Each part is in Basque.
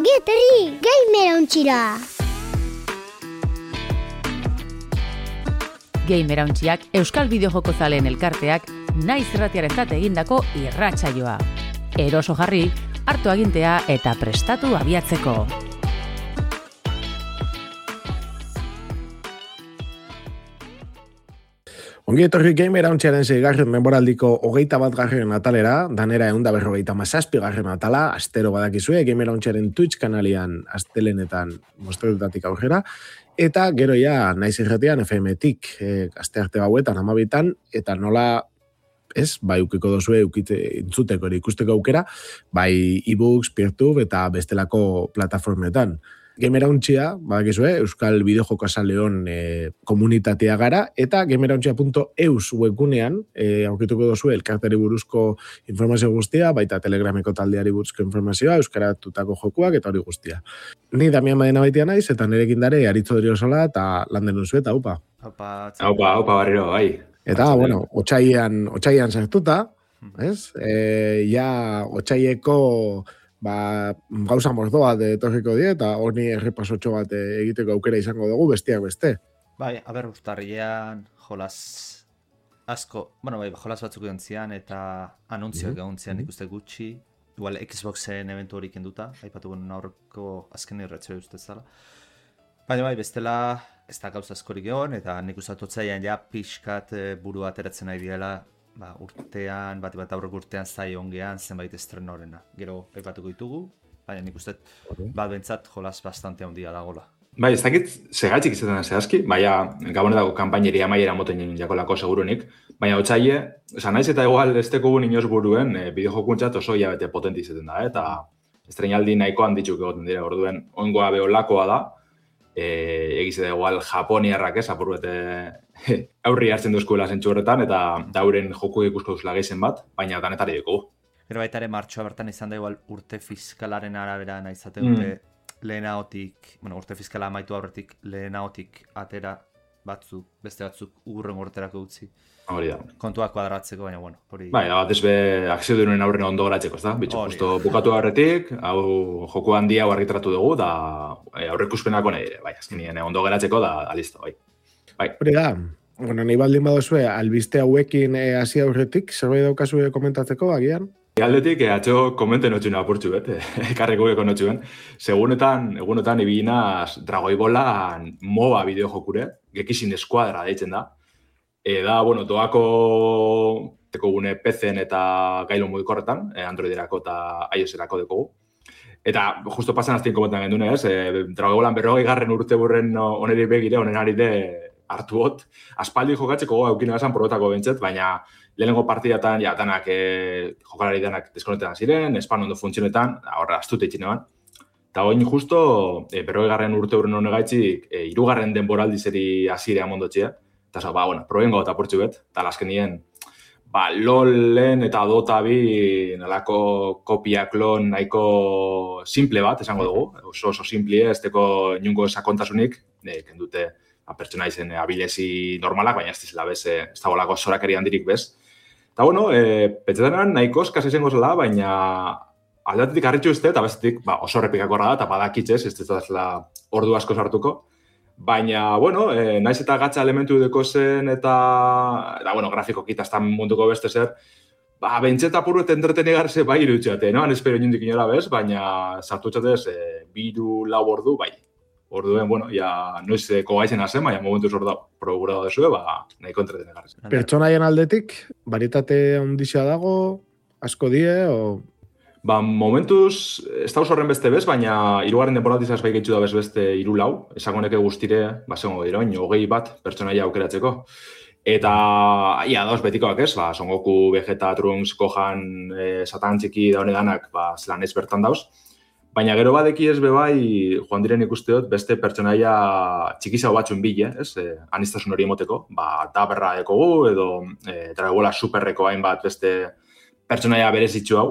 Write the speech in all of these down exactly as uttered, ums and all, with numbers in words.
Ongi etorri, Gamer Ontxira! Gamer Ontxiak Euskal Bideojoko zaleen elkarteak naiz irratiarentzat egindako irratsaioa. Eroso jarri, hartu agintea eta prestatu abiatzeko. Ongi etorri Gamer Ontxiaren seigarren denboraldiko hogeita bat garren atalera, danera eunda berrogeita mazazpi garren atala, astero badakizue, Gamer Ontxiaren Twitch kanalian astelenetan mostretutatik aurrera, eta gero ja naiz irratian F M-tik, e, aste arte gauetan, amabitan, eta nola, ez, bai ukiko dozue ukite, intzuteko ere ikusteko aukera, bai e-books, Peertube eta bestelako plataformetan. Gamer Ontxia, badakizue, Euskal Bideojoko zaleon e, komunitatea gara, eta gamerontxia punto eus webgunean e, aurkituko dozue elkarteri buruzko informazio guztia, baita Telegrameko taldeari buruzko informazioa, euskaratutako jokuak eta hori guztia. Ni Damian Badena baitia naiz, eta nirekin dare Aritzo Driosola eta Lander Unzuet, haupa. Haupa, haupa, haupa barriro, bai. Eta, bueno, otsailean, otsailean sartuta, ez? E, ja, otsaieko ba, gauza mordoa de etorriko die, eta honi errepasotxo bat egiteko aukera izango dugu, bestiak beste. Bai, aber, urtarrilean jolas asko, bueno, bai, jolas batzuk egon zian, eta anuntzioak mm-hmm. egon zian ikuste gutxi, igual Xboxen eventu horik enduta, aipatu guen aurreko azken irratxo ustez zala. Baina bai, bestela, ez da gauza askorik egon, eta nik uste totzaian ja pixkat buru ateratzen nahi diela, ba, urtean, bat bat aurrek urtean zai ongean zenbait estrenorena. Gero aipatuko ditugu, baina nik uste okay. bat bentsat jolas bastante handia dagoela. Bai, ez dakit segatxik izaten zehazki, baina gabonetako kanpaineri amaiera moten jakolako segurunik, baina otsaile, esan naiz eta igual ez tekugun inoz buruen, e, bideojokuntzat oso hilabete potenti izaten da, eta estrenaldi nahiko handitxuk egoten dira, orduen oingoa beolakoa da, e, egize da igual japoniarrak ez, apur bete aurri hartzen duzkuela zentsu horretan, eta dauren joku ikusko duzula gehizen bat, baina danetari dugu. Gero baita ere martxoa bertan izan da igual urte fiskalaren arabera nahi izate dute mm. lehenagotik, bueno, urte fiskala amaitu aurretik lehenagotik atera batzuk, beste batzuk ugurren urterako utzi. Hori da. Kontuak kuadratzeko, baina bueno, hori... Bai, da bat ezbe akzio duen aurren ondo garatzeko, ez da? Bitxo, justo bukatu aurretik, hau joku handia hau argitratu dugu, da aurrekuspenako nahi dire, bai, azkenien ondo garatzeko, da, da listo, bai. Bai. Hori da, bueno, nahi baldin badozue, albiste hauekin hasi aurretik, zerbait daukazue komentatzeko, agian? Aldetik, eh, atxo komenten notxuen apurtxu, bet, ekarreko eko notxuen. Segunetan, egunetan, ibinaz Dragoibolan MOBA bideojokure, Gekishin Eskuadra deitzen da. E, da, bueno, doako teko gune P C-en eta gailu mugikorretan, eh, Androiderako eta iOS-erako dekogu. Eta, justo pasan aztien komentan gendune, ez, eh, Dragoibolan berrogei garren urte burren oneri begire, onen ari de hartu hot. Aspaldi jokatzeko aukina esan probetako bentzet, baina lehenengo partidatan, ja, danak, e, jokalari danak deskonetan ziren, espan ondo funtzionetan, horre, astute itxine ban. Eta oin justo, e, berrogei garren urte urren honegaitzik, e, irugarren denboraldizeri hasirea mondotxea. Eta zo, ba, bueno, probengo eta portxu bet, eta laskenien, ba, LOLen eta Dota bi nalako kopia klon nahiko simple bat, esango dugu. Oso oso simple, ez teko inungo sakontasunik, e, kendute a pertsona izen abilezi normalak, baina ez dizela bez, ez da bolako zorakeri handirik bez. Eta bueno, e, petxetanan nahiko eskaz izango zela, baina aldatetik harritxu uste, eta bestetik ba, oso repikakorra da, eta badakitzez, ez ez da ordu asko sartuko. Baina, bueno, e, naiz eta gatza elementu deko zen, eta, eta bueno, grafiko kitaztan munduko beste zer, ba, bentseta purret entretenigarze bai irutxeate, no? Han espero inundik inola bez, baina sartu txatez, e, biru lau ordu bai. Orduen, bueno, ja noizeko gaitzen hazen, baina momentuz hor da programa desue, ba, nahiko entretenegarrez. Pertsonaien aldetik, baritate ondizia dago, asko die, o... Ba, momentuz, ez da horren beste bez, baina hirugarren denboratizaz bai gaitxu da bez beste hiru lau, esagoneke guztire, ba, zengo dira, hogei bat pertsonaia aukeratzeko. Eta, ia, dauz betikoak ez, ba, Son Goku, Vegeta, Trunks, Gohan, e, Satan txiki da honedanak, ba, zelan ez bertan dauz. Baina gero badeki ez bebai, joan diren ikusteot, beste pertsonaia txikizau batzuen bile, ez? E, anistasun hori emoteko, ba, Daberra dekogu, edo e, Dragola Superreko hainbat beste pertsonaia berezitzu hau.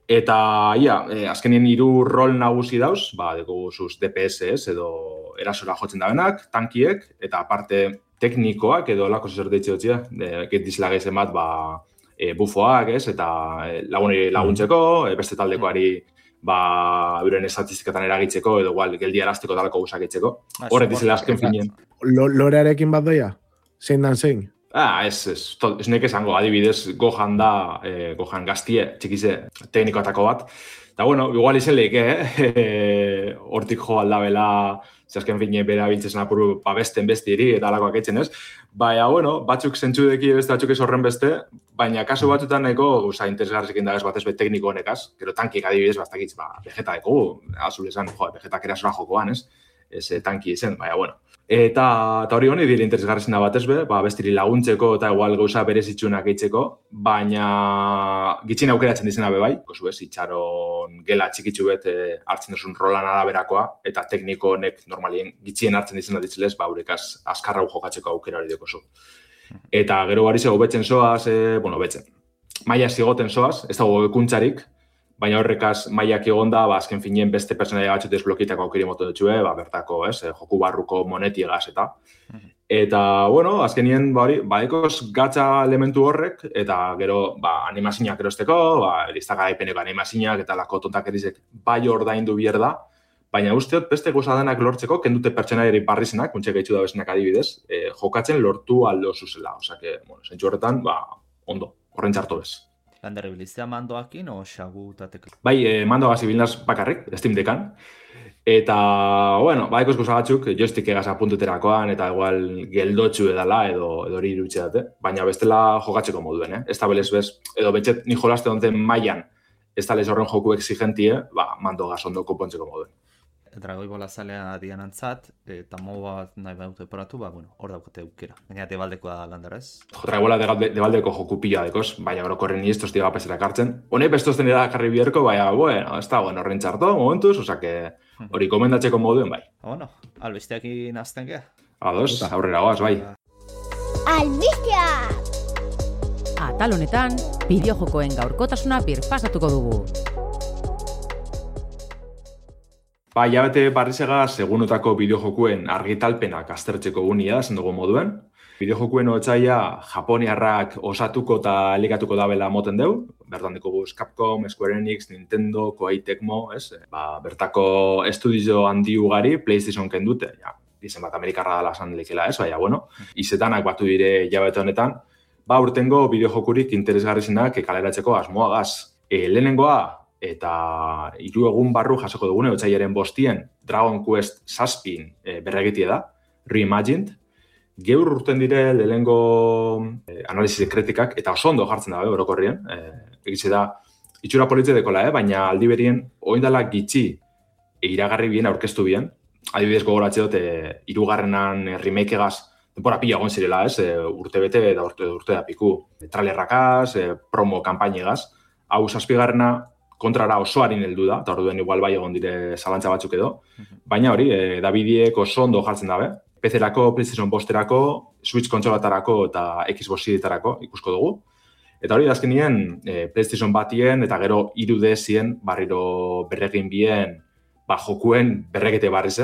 Eta, ia, e, azkenien hiru rol nagusi dauz, ba, dekogu zuz D P S, ez? Edo erasora jotzen dabenak, tankiek, eta aparte teknikoak, edo lako zer deitxe dutzea, e, dizela gehizen bat, ba, e, bufoak, ez, eta e, lagunei laguntzeko, e, beste taldekoari ba, euren estatistikatan eragitzeko, edo igual, geldi arazteko talako gusakitzeko. Horret dizela azken finien. Lorearekin bat doia? Zein dan zein? Ah, ez, ez, ez nek esango, adibidez, Gohan da, eh, Gohan gaztie, txikize, teknikoatako bat. Eta, bueno, igual izen lehik, eh? Hortik jo aldabela, zazken fine bera bintzen apuru babesten bestiri, eta alakoak etxen ez. Baina, bueno, batzuk zentzudeki beste, batzuk ez horren beste, baina kasu batzutan nahiko, uza, interesgarrezekin dagaz batez bet tekniko honekaz, gero tankik adibidez, bastakitz, ba, vegeta deko, azul esan, jo, vegetak erasora jokoan, ez? Ez tanki izen, baina, bueno. Eta, eta hori honi dire interesgarrezina batez be, ba, bestiri laguntzeko eta igual gauza berezitsunak eitzeko, baina gitxin aukeratzen dizena be bai, kozu ez, itxaron gela txikitzu bet e, hartzen duzun rolan araberakoa, eta tekniko honek normalien gitxien hartzen dizena ditzelez, ba, haurekaz azkarra jokatzeko aukera hori dekozu. Eta gero bari zego betzen soaz, e, bueno, betzen, maia zigoten soaz, ez dago ekuntzarik, baina horrekaz maiak egonda, ba, azken finien beste personaia batzut desblokietako aukeri moto dutxue, ba, bertako, ez, joku barruko monetiegaz eta. Eta, bueno, azkenien, ba, hori, badekoz gatza elementu horrek, eta gero, ba, animazinak erosteko, ba, listak garaipeneko animazinak eta lako tontak erizek bai ordaindu bier da, baina usteot beste goza denak lortzeko, kendute pertsonaiari barrizenak, kuntxek gaitxu da bezenak adibidez, eh, jokatzen lortu aldo zuzela. Osa que, bueno, zentsu horretan, ba, ondo, horren txarto bez. Lander ibiliztea mandoakin o xagu eta tekla? Bai, eh, mandoagaz ibilnaz bakarrik, Steam Deckan. Eta, bueno, ba, ekoz goza batzuk, joystick egaz apuntuterakoan, eta igual geldotxu edala, edo, edo hori irutxe date. Baina bestela jokatzeko moduen, eh? Ez da belez bez, edo betxet ni jolaste donten mailan, ez da lez horren joku exigentie, ba, mandoagaz ondo konpontzeko moduen. Dragoi bola zalea dian antzat, eta moba nahi baute poratu, ba, bueno, hor daukate aukera. Baina debaldekoa da Lander ez? Dragoi bola debaldeko joku pila dekoz, baina orokorren ni estos diga peserak hartzen. Hone bestozten da karri bierko, baina, bueno, ez da, bueno, horren txarto, momentuz, osa que hori komendatzeko moduen, bai. Bueno, albesteakin azten gea. Ados, aurrera goaz, bai. Albistea! Atal honetan, bideojokoen gaurkotasuna birpasatuko dugu. Ba, jabete barrizega segunotako bideojokuen argitalpenak aztertzeko gunia, zen dugu moduen. Bideojokuen otxaila japoniarrak osatuko eta elikatuko dabela moten deu. Bertan dikoguz Capcom, Square Enix, Nintendo, Koei Tecmo, ez? Ba, bertako estudio handi ugari PlayStation kendute. Ja, izen bat Amerikarra dala esan lekela, ez? Baina, bueno, izetanak batu dire jabete honetan. Ba, urtengo bideojokurik interesgarrizenak kaleratzeko asmoagaz. E, lehenengoa, eta hiru egun barru jasoko dugune, otsailaren bostien Dragon Quest zazpin e, berregitie da, Reimagined. Geur urten dire lehenengo e, analizi kritikak, eta oso ondo jartzen dabe orokorrien. E, Egitze da, itxura politze dekola, eh? Baina aldi berien, oindala gitxi e, iragarri bien, aurkeztu bien. Adibidez gogoratze dut, e, irugarrenan e, remake-egaz, denpora pila egon zirela, ez? E, urte bete eta urte, urte da piku. E, trailerrakaz, e, promo kanpainegaz. Hau zazpigarrena, kontrara osoarin heldu da, eta orduen igual bai egon dire zalantza batzuk edo. Baina hori, e, Davidiek oso ondo jartzen dabe. P C-erako, PlayStation bosterako, Switch kontsolatarako eta Xbox Series-etarako ikusko dugu. Eta hori, azkenien, e, PlayStation batien eta gero hiru D S-ien barriro berregin bien ba, jokuen berregite barriz,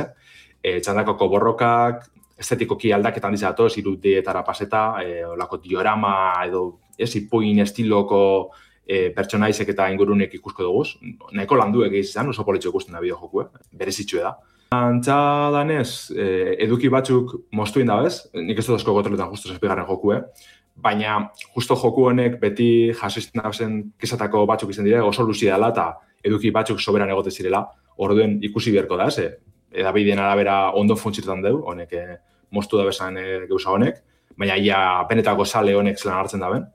e, txandakoko borrokak, estetikoki aldaketan dizatoz, hiru D-etara paseta, e, olako diorama edo ez ipuin estiloko E, pertsonaizek eta ingurunek ikusko dugu. Nahiko landuek izan, oso politxo ikusten da bideojokue, berezitxue da. Antza danez, e, eduki batzuk moztuin da bez, nik ez dut asko gotroletan justo zazpigarren jokue, baina justo joku honek beti jasizten dabezen kesatako batzuk izan dire, oso luzi dela eta eduki batzuk soberan egote zirela, orduen ikusi beharko da, ze edabideen arabera ondo funtzietan deu, honek e, moztu dabezen e, geuza honek, baina ia benetako sale honek zelan hartzen daben.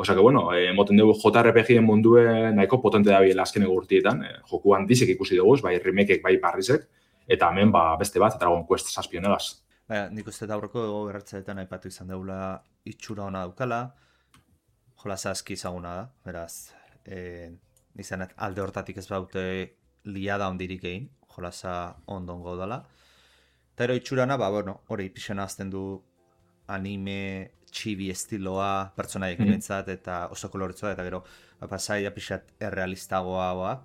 Osa que, bueno, eh, moten dugu J R P G-en mundue nahiko potente da biela azkeneko urtietan. Eh, joku handizek ikusi dugu, bai remakeek, bai barrizek, eta hemen ba, beste bat, Dragon Quest zazpionegaz. Baina, nik uste da aurreko gertzaetan aipatu izan deula itxura ona daukala, jolasa aski izaguna da, beraz, eh, izanet alde hortatik ez baute liada ondirik egin, jolasa ondongo dela. Eta ero itxurana, ba, bueno, hori pixena azten du anime txibi estiloa, pertsonaiek mm -hmm. eta oso koloretzoa, eta gero pasaia pixat errealistagoa,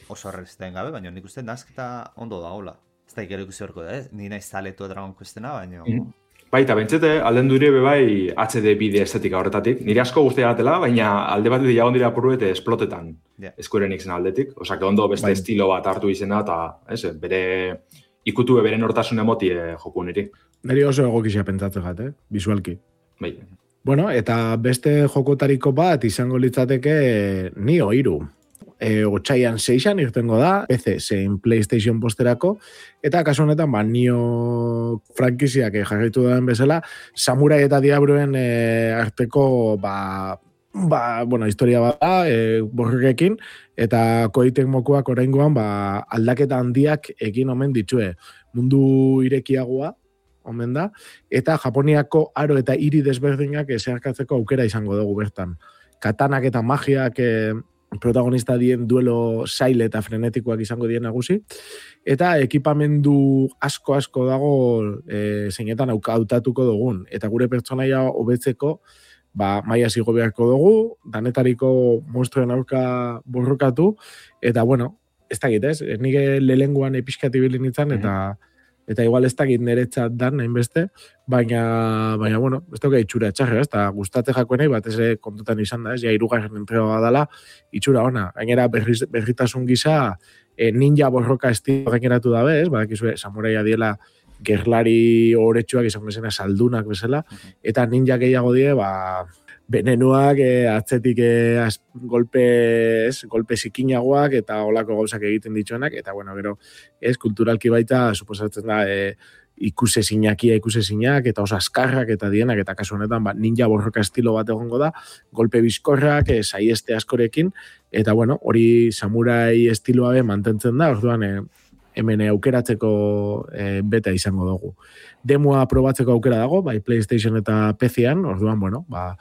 oso errealisten gabe, baina nik uste nazketa ondo da, hola. Ez da ikero ikusi horko da, eh? Ni nahi zaletu Dragon Questena, baina... Mm -hmm. Baita, bentsete, alden dure bebai H D bide estetika horretatik. Nire asko guztia gatela, baina alde bat jagon dira apuru eta esplotetan yeah. Square Enixen aldetik. Osa, que ondo beste Bain. Estilo bat hartu izena eta ez, bere ikutu bere nortasun emoti eh, joku niri. Neri oso egokixia pentsatzen gat, eh? Visualki. Bai. Bueno, eta beste jokotariko bat izango litzateke Nio hiru. E, Otsaian seixan irtengo da, P C zein PlayStation posterako, eta kasu honetan, ba, Nio frankiziak jarraitu duen bezala, Samurai eta Diabloen e, arteko, ba, ba, bueno, historia bat da, e, borrekin, eta Koei Tecmokoak oraingoan, ba, aldaketa handiak egin omen ditue. Mundu irekiagoa, omen da, eta Japoniako aro eta hiri desberdinak zeharkatzeko aukera izango dugu bertan. Katanak eta magiak e, protagonista dien duelo zaile eta frenetikoak izango dien nagusi, eta ekipamendu asko-asko dago e, zeinetan hautatuko dugun, eta gure pertsonaia hobetzeko ba, maia zigo beharko dugu, danetariko monstruen aurka borrokatu, eta bueno, ez dakit ez, nire lehenguan episkati bilin nintzen, eta eta igual ez dakit niretzat dan, hainbeste, baina, baina, bueno, ez dauka itxura etxarra, ez, eta gustatze jakoenei, bat ez kontutan izan da, ez, ja, irugarren entrega dela, itxura ona. Gainera, berriz, berritasun gisa, e, ninja borroka estilo gaineratu dabe, ez, badakizue, samuraia diela, gerlari horretxuak izan bezena saldunak bezala, eta ninja gehiago die, ba, benenuak, e, atzetik e, az, golpe, ez, golpe zikinagoak eta olako gauzak egiten dituenak, eta bueno, gero, ez, kulturalki baita, suposatzen da, e, ikusezinakia ikusezinak, eta oso askarrak eta dienak, eta kasu honetan, ba, ninja borroka estilo bat egongo da, golpe bizkorrak, e, saieste askorekin, eta bueno, hori samurai estiloa be mantentzen da, orduan, e, hemen aukeratzeko e, beta izango dugu. Demoa probatzeko aukera dago, bai PlayStation eta P C-an, orduan, bueno, ba,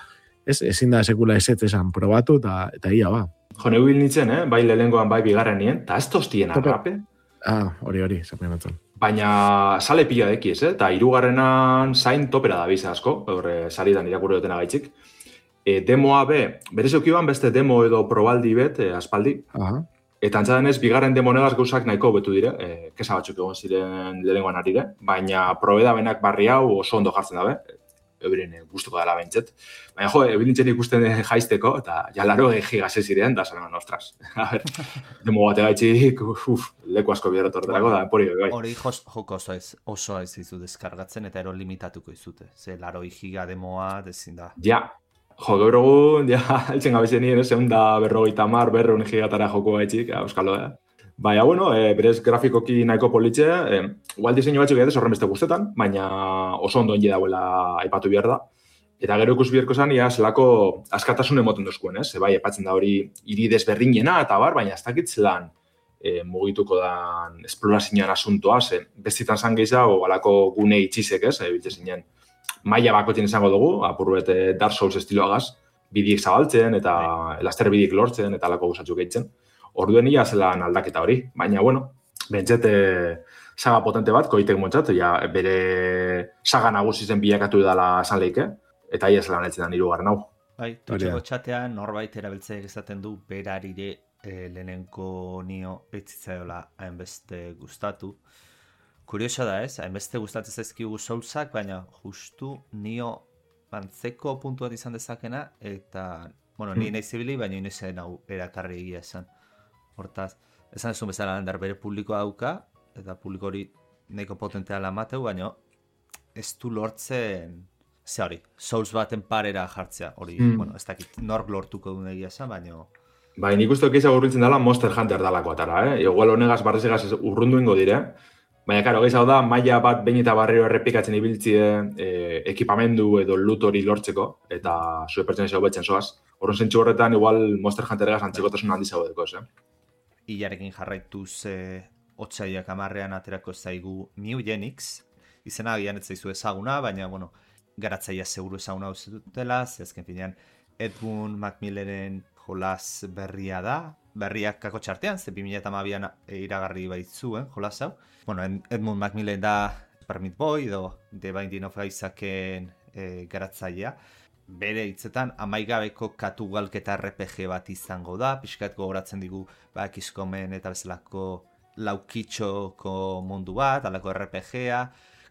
ez, ezin da sekula ezetz esan probatu, eta, eta ia, ba. Jo, neu bil nintzen, eh? Bai lehengoan, bai bigarren nien, eta ez tostien arrape. Ah, hori, hori, zapen atzen. Baina sale pila dekiz, eh? Eta hirugarrenan zain topera da biza asko, horre saridan irakurri dutena gaitzik. E, demoa be, berez eukiban beste demo edo probaldi bet, e, aspaldi. Aha. Eta antzadenez, bigarren demo negaz gauzak nahiko betu dire, e, kesa batzuk egon ziren lehengoan arire, baina probeda benak barri hau oso ondo jartzen dabe, euren gustuko dela behintzet. Baina jo, ebilintzen ikusten jaisteko, eta jalaro egi gase ziren, da zanean, ostras. A ber, demo bate gaitxik, uf, leku asko bideratu horretarako, da, empori bai. Hori joko oso ez, oso ez izu deskargatzen, eta ero limitatuko izute. Ze, laro giga demoa, dezin da. Ja, jo, gaur egun, ja, eltzen gabezen nien, egun da berrogeita mar, berreun gigatara joko gaitxik, euskalo, eh? Baina, bueno, e, berez grafikoki nahiko politxe, e, igual diseinu batzuk egitez horren beste guztetan, baina oso ondo ongi dauela aipatu behar da. Eta gero ikus biherko zan, ia, zelako askatasun emoten dozkuen, ez? E, bai, epatzen da hori hiri desberdinena eta bar, baina ez dakit zelan e, mugituko dan esplorazioan asuntoa, ze bestitan zan gehiago, alako gune itxizek, ez? E, biltze zinen, maila bakotin izango dugu, apurruet Dark Souls estiloagaz, bidiek zabaltzen eta elaster bidiek lortzen eta alako gusatzuk gehitzen. Orduen ia zelan aldaketa hori, baina, bueno, bentsete saga potente bat, koitek montzat, ja, bere saga nagusi zen bilakatu dela esan leike, eta ia zelan etzen da hirugarren hau. Bai, tutxeko txatean norbait erabiltzeak esaten du berarire e, lehenenko Nio etzitzaiola hainbeste gustatu. Kuriosa da ez, hainbeste gustatzen zaizkigu Soulsak, baina justu Nio antzeko puntu bat izan dezakena, eta, bueno, ni nahi zibili, baina inoizen hau erakarri egia esan. Hortaz, esan ezun bezala landar bere publikoa dauka, eta publiko hori nahiko potentea lamateu, baina ez du lortzen, ze hori, Souls baten parera jartzea, hori, mm. bueno, ez dakit, nork lortuko duen egia esan, baina... Bai, nik uste okeiza urbiltzen dela Monster Hunter dalako atara, eh? Igual honegaz barrezegaz urrundu ingo dire, baina, karo, gehiago da, maila bat behin eta barriro errepikatzen ibiltzie eh, ekipamendu edo loot hori lortzeko, eta zue pertsenezio hobetzen zoaz. Horren zentsu horretan, igual Monster Hunter-egaz antzikotasun handi zaudeko, eh? Ilarekin jarraituz e, otsaiak amarrean aterako zaigu New Genix, izena agian ez zaizu ezaguna, baina, bueno, garatzaia seguru ezaguna dutela, zehazken finean Edmund Macmillaren jolas berria da, berriak kako txartean, ze bi mila hamabian iragarri baitzuen jolas hau. Bueno, Edmund Macmillan da Super Meat Boy edo The Binding of Isaac-en e, garatzailea. Bere hitzetan amaigabeko katugalketa R P G bat izango da, pixkat gogoratzen digu ba, Kiskomen eta bezalako laukitxoko mundu bat, alako R P G-a,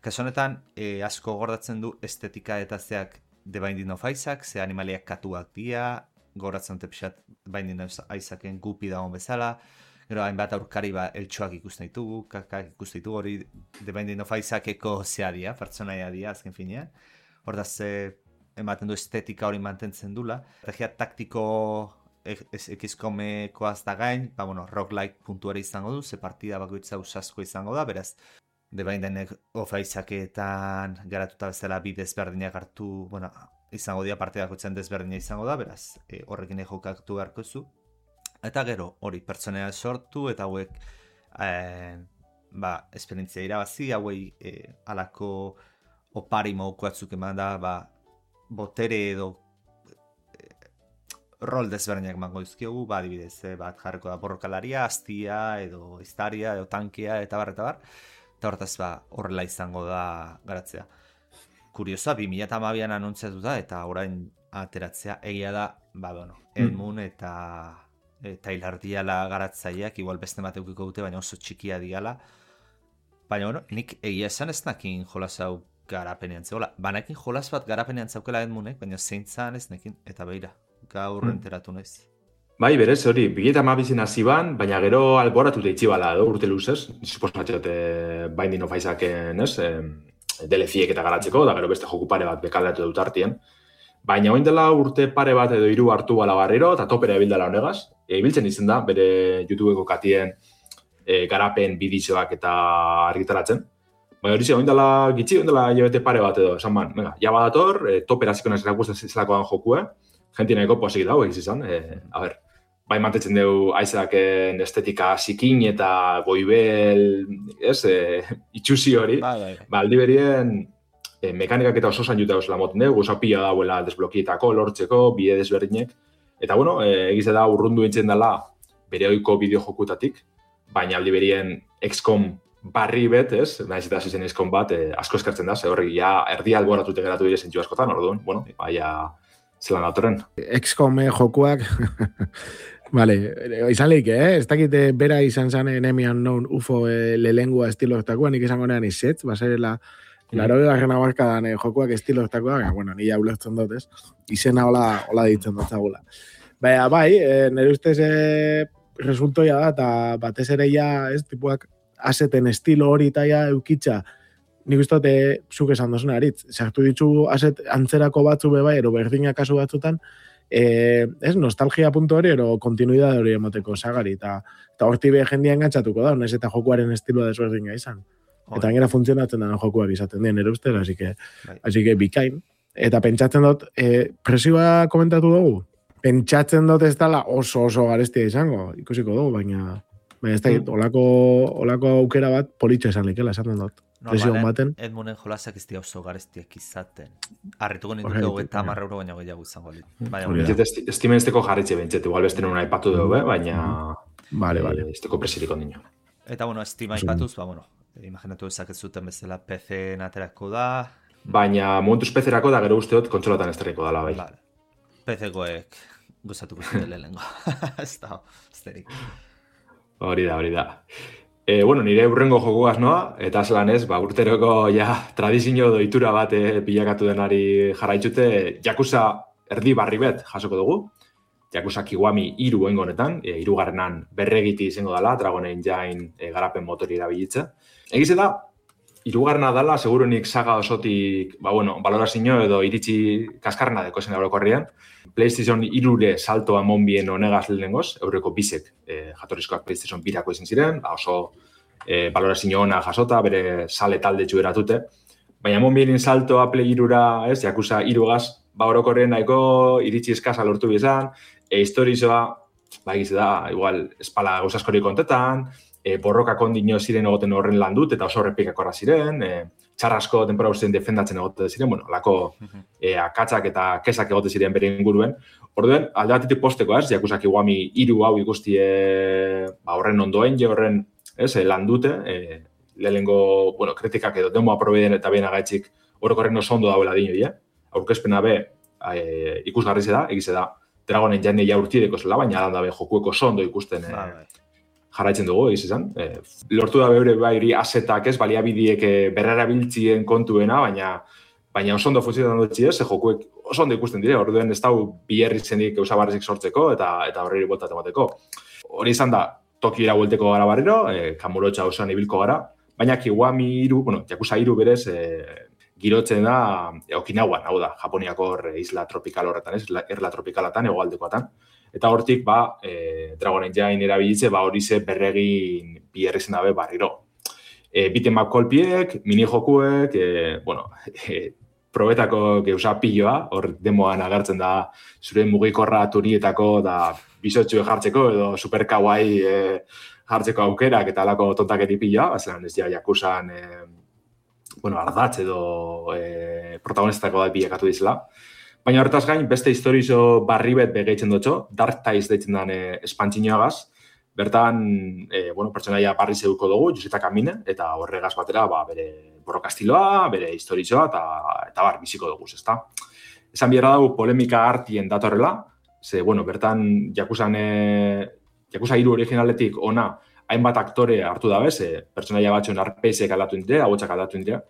Kasu honetan, e, asko gordatzen du estetika eta zeak The Binding of Isaac, ze animaliak katuak dira, gordatzen dute pixat Binding of Isaaken gupi dagoen bezala, gero hainbat aurkari ba eltsuak ikusten ditugu, kakak ikusten ditugu, hori The Binding of Isaaceko zea dira, pertsonaia dira, azken finean. Hortaz, ematen du estetika hori mantentzen dula. Estrategia taktiko X-komekoaz da gain, ba, bueno, roguelike puntuari izango du, ze partida bakoitza usasko izango da, beraz, The Binding of Isaacetan garatuta bezala bi desberdinak hartu, bueno, izango dira partida bakoitzen desberdina izango da, beraz, e, horrekin jokatu beharko zu. Eta gero, hori, pertsonea sortu, eta hauek, e, ba, esperientzia irabazi, hauei e, alako opari moduko batzuk eman da, ba, botere edo e, rol desberdinak emango dizkiogu, ba, adibidez, e, bat jarriko da borrokalaria, astia, edo iztaria, edo tankea, eta bar, eta bar, eta hortaz, ba, horrela izango da garatzea. Kuriosa, bi mila hamabian anuntziatu da, eta orain ateratzea, egia da, ba, bueno, Edmund eta... eta hilar diala garatzaileak, igual beste bat eukiko dute, baina oso txikia diala. Baina, bueno, nik egia esan ez nakin jolas hau garapenean zegoela. Banakin jolas bat garapenean zaukela Edmundek, baina zeintzan ez nekin, eta beira, gaur mm. enteratu naiz. Bai, berez, hori, bigeta mabizien hasi ban, baina gero alboratu da itxibala, edo, urte luzez, suposatzot, eh, Binding of Isaaken, ez, eh, D L C-ek eta garatzeko, da gero beste joku pare bat bekaldatu dut artien. Baina oin dela urte pare bat edo hiru hartu bala barriro, eta topera ebildela honegaz. E, ibiltzen izen da, bere YouTubeko katien e, garapen bidizioak eta argitaratzen. Baina hori ze, oin dela gitxi, oin dela jebete pare bat edo, esan ban, venga, ja badator, e, topera ziko naz erakusten zelakoan jokue, jenti nahiko posik dago egiz izan. E, a ber, bai mantetzen dugu Isaaken estetika zikin eta goibel, ez, e, itxusi hori, ba, ba aldi berien, E, mekanikak eta oso zain juta osela moten dugu, oso pila dauela desblokietako, lortzeko, bide desberdinek. Eta, bueno, e, egize da urrundu entzen dela bere oiko bideojokutatik, baina aldi berien X COM barri bet, ez? Naiz eta zizen X COM bat, e, asko eskartzen da, ze horrek ja erdi alboratute geratu dire zentzu askotan, orduan, bueno, baina zelan dautorren. X COM jokuak, vale, izan leik, eh? Ez dakit bera izan zan enemian non U F O e, lelengua estilo estakoa, nik izango nean izetz, basarela... Laro egarren abarkadan eh, jokuak estilo estakoa, bueno, nila ulertzen dut, ez? Izena hola, hola ditzen dut zagula. Baina, bai, eh, nire ustez eh, resultoia da, eta batez ere ja, ez, tipuak aseten estilo hori eta ja eukitza, nik uste dut, eh, zuk esan dozun aritz, sartu ditzu aset antzerako batzu be bai, ero berdinak kasu batzutan, eh, ez, nostalgia puntu hori, ero kontinuidade hori emoteko sagari, eta horti be jendia engantzatuko da, ez eta jokuaren estiloa desberdina izan. Eta gainera funtzionatzen dena jokuak izaten dien ere ustez, así que, así que bikain. Eta pentsatzen dut, eh, presioa komentatu dugu? Pentsatzen dut ez dela oso oso garestia izango, ikusiko dugu, baina, baina ez da, mm. olako, olako aukera bat politxo esan likela, esaten dut. Presioa baten. Edmunden jolasak ez dira oso garestiak izaten. Arrituko ninduko eta marra euro baina gehiago izango. Estimenzteko jarritxe bentzet, igual beste nuna aipatu dugu, baina... Vale, vale. Esteko presirik ondino. Eta, bueno, estima aipatuz, ba, bueno, imaginatu ezak ez zuten bezala P C-en aterako da. Baina momentuz P C-erako da gero usteot kontsolatan esterriko dala bai. Vale. P C-koek gozatuko zuten lehenengo. Ez da, esterik. Hori da, hori da. E, bueno, nire urrengo jokuaz noa, eta zelan ez, ba, urteroko ja tradizio doitura bat eh, pilakatu denari jarraitzute, Yakuza erdi barri bet jasoko dugu. Yakuza Kiwami hiru oingo honetan, e, hirugarrenan berregiti izango dela, Dragon Engine e, garapen motori erabilitza. Egize da, hirugarrena dela, segurunik saga osotik, ba bueno, balorazio edo iritsi kaskarrena deko zen orokorrean. PlayStation hirure saltoa monbien honegaz lehenengoz, eureko bisek e, jatorrizkoak PlayStation birako izan ziren, ba oso e, balorazio ona jasota, bere sale talde txueratute. Baina monbien saltoa Play hirura, ez, Yakuza hirugaz, ba orokorrean nahiko iritsi eskasa lortu bizan, e, historizoa, ba egize da, igual, espala gauzaskori kontetan, e, borroka kondino ziren egoten horren lan dut, eta oso horrepikak horra ziren, e, txarrasko denpora guztien defendatzen egoten ziren, bueno, lako e, akatzak eta kesak egoten ziren bere inguruen. Orduen, alde batetik posteko, ez, Yakuza Kiwami hiru hau ikustie ba, horren ondoen, je horren, ez, lan dute, e, lehenengo, bueno, kritikak edo demo aprobeden eta behen agaitzik orokorren oso ondo dauela dino, ja? Aurkezpena be, e, ikusgarri ze da, egize da, Dragon Engine ja urtideko zela, baina adan dabe jokueko oso ondo ikusten e, jarraitzen dugu, egiz izan. E, lortu da beure bai asetak ez, baliabideek berrerabiltzien kontuena, baina baina oso ondo funtzionan dut ez, jokuek oso ondo ikusten dire, orduen ez dau biherritzenik eusabarrizik sortzeko eta eta horreri botat emateko. Hori izan da, Tokiora buelteko gara barriro, e, Kamurotxa osoan ibilko gara, baina Kiwami hiru, bueno, Yakuza hiru berez, e, girotzen da e, Okinawan, hau da, Japoniako isla tropikal horretan, ez, erla tropikalatan, hegoaldekoatan. Eta hortik, ba, e, Dragon Engine erabilitze, ba, hori ze berregin biherrizen dabe barriro. E, Beat'em up kolpiek, mini-jokuek, e, bueno, e, probetako geusa piloa, hor demoan agertzen da zure mugikorra turietako da bizotxue jartzeko edo super kawaii e, jartzeko aukerak eta alako tontaketi piloa, bazelan ez ja Yakuzan e, bueno, ardatz edo e, protagonistako da bilakatu dizela. Baina horretaz gain, beste historizo barri bet begeitzen dutxo, Dark Ties deitzen den e, espantzinoagaz, bertan, e, bueno, pertsonaia barri zeuko dugu, Joseta Kamine, eta horregaz batera, ba, bere borrokastiloa, bere historizoa, eta, eta bar, biziko dugu, ezta. Esan biherra dugu polemika hartien datorrela, ze, bueno, bertan, Yakuzan, e, Yakuza hiru originaletik ona, hainbat aktore hartu da bez, e, pertsonaia batxoen arpeizek aldatu indire, agotxak aldatu indire,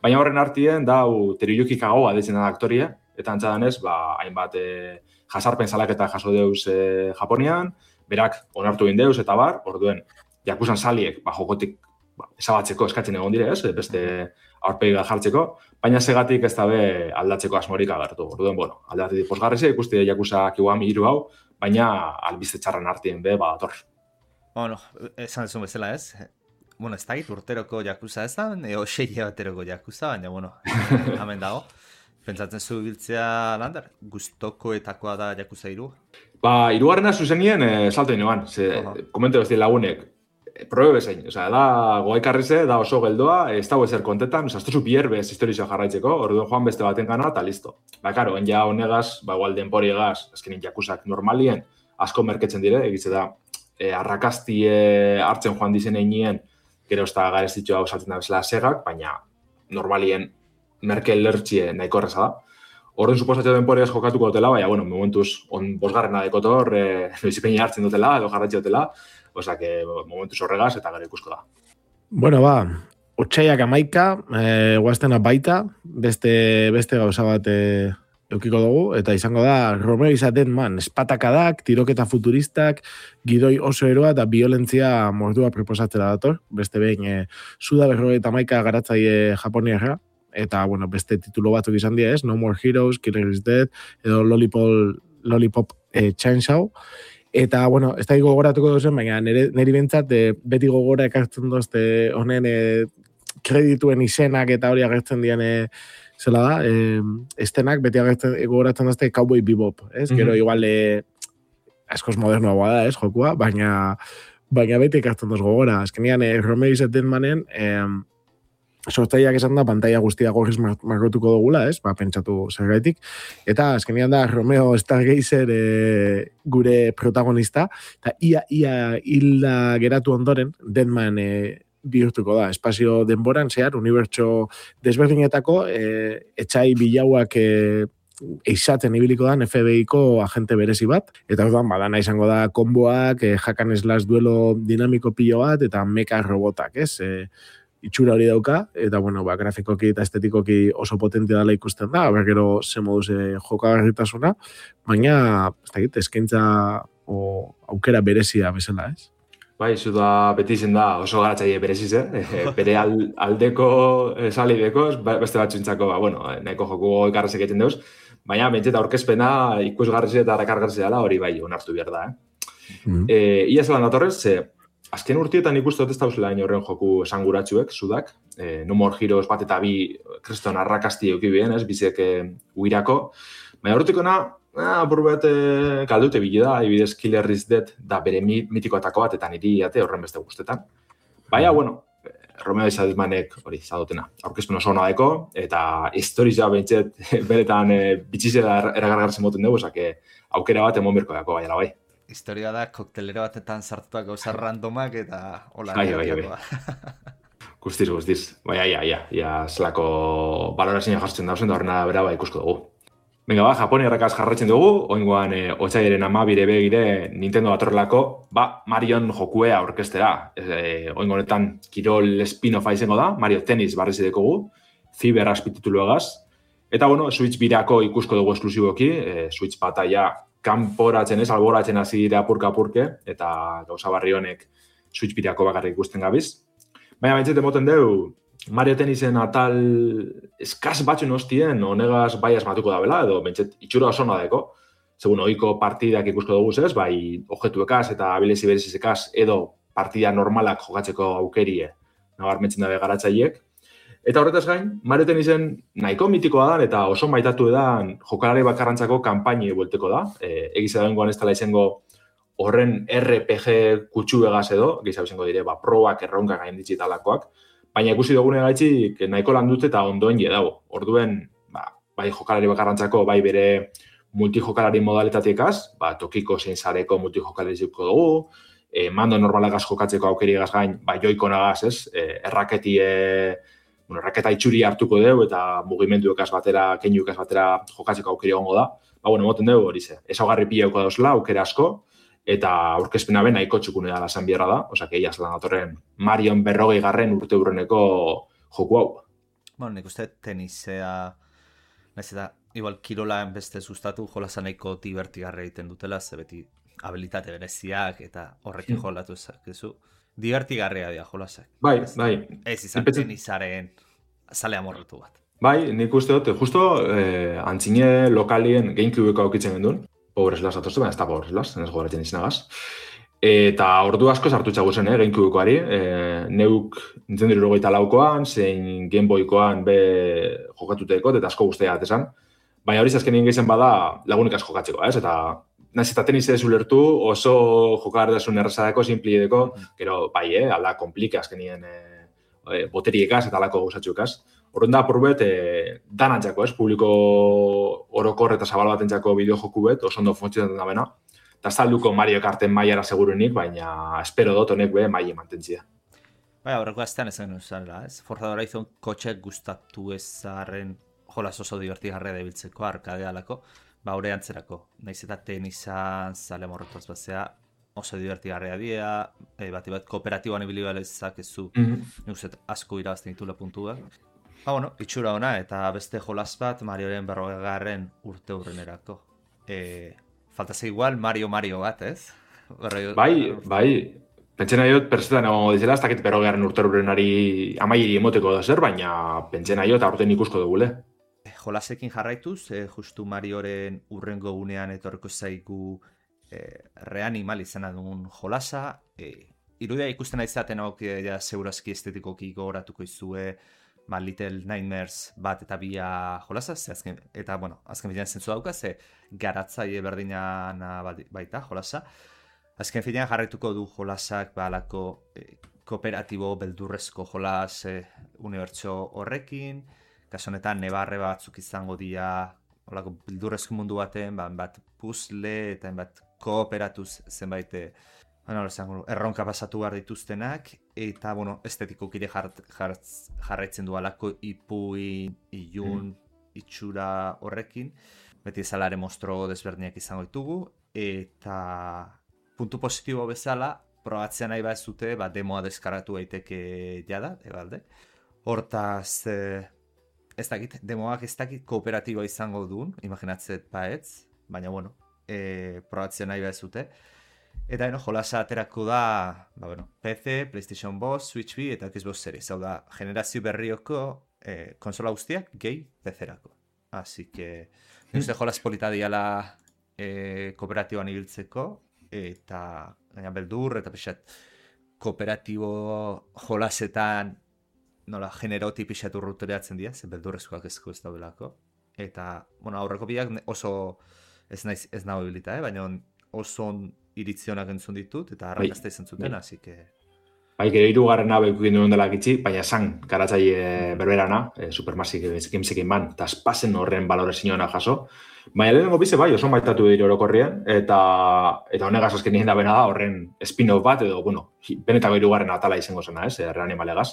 baina horren hartien, dau Teruyuki Kagawa deitzen da aktoria, eta antzadanez, ba, hainbat e, jasarpen salaketa jaso deuz e, Japonian, berak onartu egin deuz eta bar, orduen, Yakuzan saliek, ba, jokotik ba, esabatzeko eskatzen egon dire, ez, beste aurpegi jartzeko, baina segatik ez dabe aldatzeko asmorik agertu. Orduen, bueno, aldatik posgarrizia ikusti Yakuza Kiwami hiru hau, baina albizte txarren artien be, ba, ator. Bueno, esan dezun bezala ez, bueno, ez dakit urteroko Yakuza ez da, eo sei bateroko Yakuza, baina, bueno, hemen dago. Pentsatzen zu biltzea lander, gustokoetakoa da Yakuza hiru? Ba, hirugarrena zuzenien e, salto inoan, ze uh-huh. Komente bezti lagunek, e, probe bezain, oza, da goaikarrize, da oso geldoa, ez dago ezer kontetan, oza, ez duzu bierbez historizioa jarraitzeko, orduan joan beste baten gana, eta listo. Ba, karo, en ja honegaz, ba, igual denpori egaz, azkenin Yakuzak normalien, asko merketzen dire, egitze da, e, arrakastie hartzen joan dizen einien, gero ez da garezitxoa osatzen da bezala segak, baina normalien merke lertxie nahiko erreza da. Horren suposatio denporiaz jokatuko dutela, baina, bueno, momentuz, on bosgarrena dekotor, e, noizipeini hartzen dutela, edo jarratxe dutela, oza, que momentuz horregaz eta gero ikusko da. Bueno, ba, otxaiak amaika, e, guaztena baita, beste, beste gauza bat e, eukiko dugu, eta izango da, Romeo izaten man, espatakadak, tiroketa futuristak, gidoi oso eroa eta violentzia mordua proposatzera dator, beste behin, e, Suda berrogeita amaika garatzaile Japoniarra, eta, bueno, beste titulo batzuk izan dira, ez? No More Heroes, Killer is Dead, edo Lollipop, Lollipop eh, Chainsaw. Eta, bueno, ez da gogoratuko duzen, baina nire, nire bentsat, eh, beti gogora ekartzen dozte honen eh, kredituen izenak eta hori agertzen dian eh, zela da, eh, estenak beti agertzen gogoratzen dozte Cowboy Bebop, ez? Mm-hmm. Gero, igual, eh, askoz modernoa da, ez, jokua, baina, baina beti ekartzen doz gogora. Azkenean, eh, Romeo izaten manen, eh, sortzaileak esan da, pantalla guztia gorriz margotuko dugula, ez? Ba, pentsatu zergaitik. Eta, azkenean da, Romeo Stargazer e, gure protagonista, eta ia, ia hilda geratu ondoren, Deadman e, bihurtuko da. Espazio denboran, zehar, unibertso desberdinetako, e, etxai bilauak e, eizatzen ibiliko da F B I-ko agente berezi bat, eta orduan, badana izango da konboak, e, hakan slash duelo dinamiko pilo bat, eta meka robotak, ez? E, itxura hori dauka, eta, bueno, ba, grafikoki eta estetikoki oso potente dela ikusten da, aber gero ze moduz e, jokagarritasuna, baina, ez dakit, eskaintza o aukera berezia bezala, ez? Bai, zu da beti izen da oso garatzaile bereziz, eh? Bere aldeko salideko, beste batxuntzako, ba, bueno, nahiko joku ikarrezek egiten deuz, baina bentseta aurkezpena ikusgarrizia eta rakargarrizia dela hori bai, onartu behar da, eh? Mm-hmm. E, ia zelan datorrez, ze, azken urtietan ikustu dut ez dauzela horren joku esanguratsuek, Sudak, e, No More Heroes bat eta bi kriston arrakasti eukibien, ez, bizek e, uirako. Baina horretikona, ah, burbet e, kaldute bile da, ibidez Killer is Dead da bere mitikoatako bat eta niri ate horren beste guztetan. Baina, bueno, Romeo Izadizmanek hori zadotena. Aurkezpen oso hona daiko, eta historia bentset beretan e, bitxizela eragargarzen moten dugu, osake aukera bat emon birko dako, baina bai. Historia da, koktelero batetan sartuak gauza randomak eta hola. Bai, bai, bai. Guztiz, guztiz. Bai, ia, ia, ia, zelako balorazioa jartzen dauzen da horrena bera ba ikusko dugu. Venga, ba, Japoniarrakaz jarraitzen dugu, oingoan e, otsailaren amabire begire Nintendo datorrelako, ba, Marion jokuea orkestera. E, oingo honetan kirol spin-offa izango da, Mario Tennis barriz dekogu, Fiber azpitituluagaz. Eta, bueno, Switch birako ikusko dugu esklusiboki, e, Switch bataia kanporatzen ez, alboratzen hasi dira apurka-apurke, eta gauza barri honek Switch birako bakarrik ikusten gabiz. Baina baitzete moten deu, Mario Tennisen atal eskaz batxun hostien, honegaz bai asmatuko da bela, edo bentset itxura oso nadeko. Segun, ohiko partidak ikusko dugu ez, bai objektuekaz eta abilezi berezizekaz, edo partida normalak jokatzeko aukerie, nabarmentzen dabe garatzaileek. Eta horretaz gain, Mario Tennisen nahiko mitikoa da, eta oso maitatu edan jokalari bakarrantzako kanpaini buelteko da. E, egiz edagoengoan ez dela izango horren R P G kutsuegaz edo, gizau izango dire, ba, probak erronka gain ditxitalakoak. Baina ikusi dugune gaitxik nahiko lan dute eta ondoen dago. Orduen, ba, bai jokalari bakarrantzako, bai bere multijokalari modalitateekaz, ba, tokiko zein zareko multijokalari zeuko dugu, e, mando normalagaz jokatzeko aukeriagaz gain, ba, joikonagaz, ez, e, erraketi, e, bueno, erraketa itxuri hartuko dugu eta mugimenduekaz batera, keinuekaz batera jokatzeko aukeri egongo da. Ba, bueno, moten dugu hori ze. Ezaugarri pilauko dauzela, aukera asko, eta aurkezpena ben nahiko txukune da lasan bierra da, osea, keiaz lan datorren Marion berrogei garren urte urreneko joku hau. Bueno, nik uste tenisea, nahiz eta igual kirolaan beste sustatu jolasa nahiko divertigarra egiten dutela, ze beti habilitate bereziak eta horrekin hmm. jolatu ezakezu. Divertigarria dira jolasak. Bai, bai. Ez izan Epetze... tenisaren zale amorretu bat. Bai, nik uste dut, justo eh, antzine lokalien GameCubeko aukitzen gendun, Pobres las atoztu, baina ez da pobres las, ez gogoratzen izinagaz. Eta ordu asko sartu txagu zen, eh, GameCubekoari. E, neuk Nintendo hirurogeita laukoan, zein Game Boykoan be jokatuteko, eta asko guztia atesan. Baina hori azkenien gehizen bada lagunik asko jokatzeko, ez? Eta nahiz eta tenis ez ulertu, oso jokardasun errazadeko, simpliedeko, gero bai, eh, alda komplike azkenien e, boteriekaz eta alako gauzatxukaz. Horren da, porbet, e, danantzako, ez? Publiko orokor eta zabal batentzako bideojoku bet, oso ondo funtzionatzen da bena. Eta salduko Mario Karten mailara segurunik, baina espero dut honek be maile mantentzia. Bai, horreko aztean ezen uzala, ez? Forza Horizon kotxek gustatu ezaren jolas oso divertigarria debiltzeko, arkadealako, ba, hori antzerako. Naiz eta tenisan zale morrotaz batzea, oso divertigarria dira, e, bat bat kooperatiboan ibilibalezak ezu, mm-hmm. Nuzet asko irabazten ditula puntua. Ba, bueno, itxura ona eta beste jolas bat Marioren berrogegarren urte urrenerako. E, faltaz igual Mario Mario bat, ez? Berroi... Bai, bai. Pentsen nahi dut persetan egongo dizela, ez dakit berrogegarren urte urrenari amaieri emoteko da zer, baina pentsen nahi dut aurten ikusko dugule. Jolasekin jarraituz, e, justu Marioren urrengo gunean etorreko zaigu e, reanimal izan dugun jolasa. E, irudia ikusten aizaten hau ja, segurazki estetikoki gogoratuko izue, ba, Little Nightmares bat eta bia jolasa, ze azken, eta, bueno, azken finean zentzu dauka, ze garatzaile berdinan baita jolasa. Azken finean jarraituko du jolasak, ba, alako eh, kooperatibo beldurrezko jolas eh, unibertso horrekin, kaso honetan nebarre batzuk izango dira, holako beldurrezko mundu baten, ba, bat puzzle eta bat kooperatuz zenbait Bueno, erronka pasatu behar dituztenak, eta, bueno, estetikoki ere jar, jar, jarraitzen du alako ipuin, ilun, mm. itxura horrekin. Beti ezalare mostro desberdinak izango ditugu, eta puntu positibo bezala, probatzea nahi bat zute, ba, demoa deskaratu daiteke jada, ebalde. Hortaz, eh, ez dakit, demoak ez dakit kooperatiboa izango duen, imaginatzet baetz, baina, bueno, eh, probatzea nahi bat zute. Eta, no, jolasa aterako da, ba, bueno, P C, PlayStation bost, Switch bi eta Xbox Series. Hau da, generazio berrioko eh, konsola guztiak gehi P C-erako. Así que, uste jolas polita diala eh, kooperatiboan ibiltzeko, eta gaina beldur, eta pixat kooperatibo jolasetan, nola, generoti pixat urrutereatzen dira, zen beldurrezkoak ezko ez daudelako. Eta, bueno, aurreko biak oso ez naiz ez nago ibilita, eh? Baina oso iritzionak entzun ditut, eta arrakazta izan zuten, hasi que... Bai, gero hirugarren nabe ikukin duen dela gitxi, baina esan garatzaile berberana, e, Supermassive Games'ekin ban, eta espazen horren balore zinona jaso. Baina lehenengo bize bai, oso maitatu dira orokorrien, eta eta honegaz azken nien da bena da horren spin-off bat, edo, bueno, benetako hirugarren atala izango zena, ez, reanimalegaz.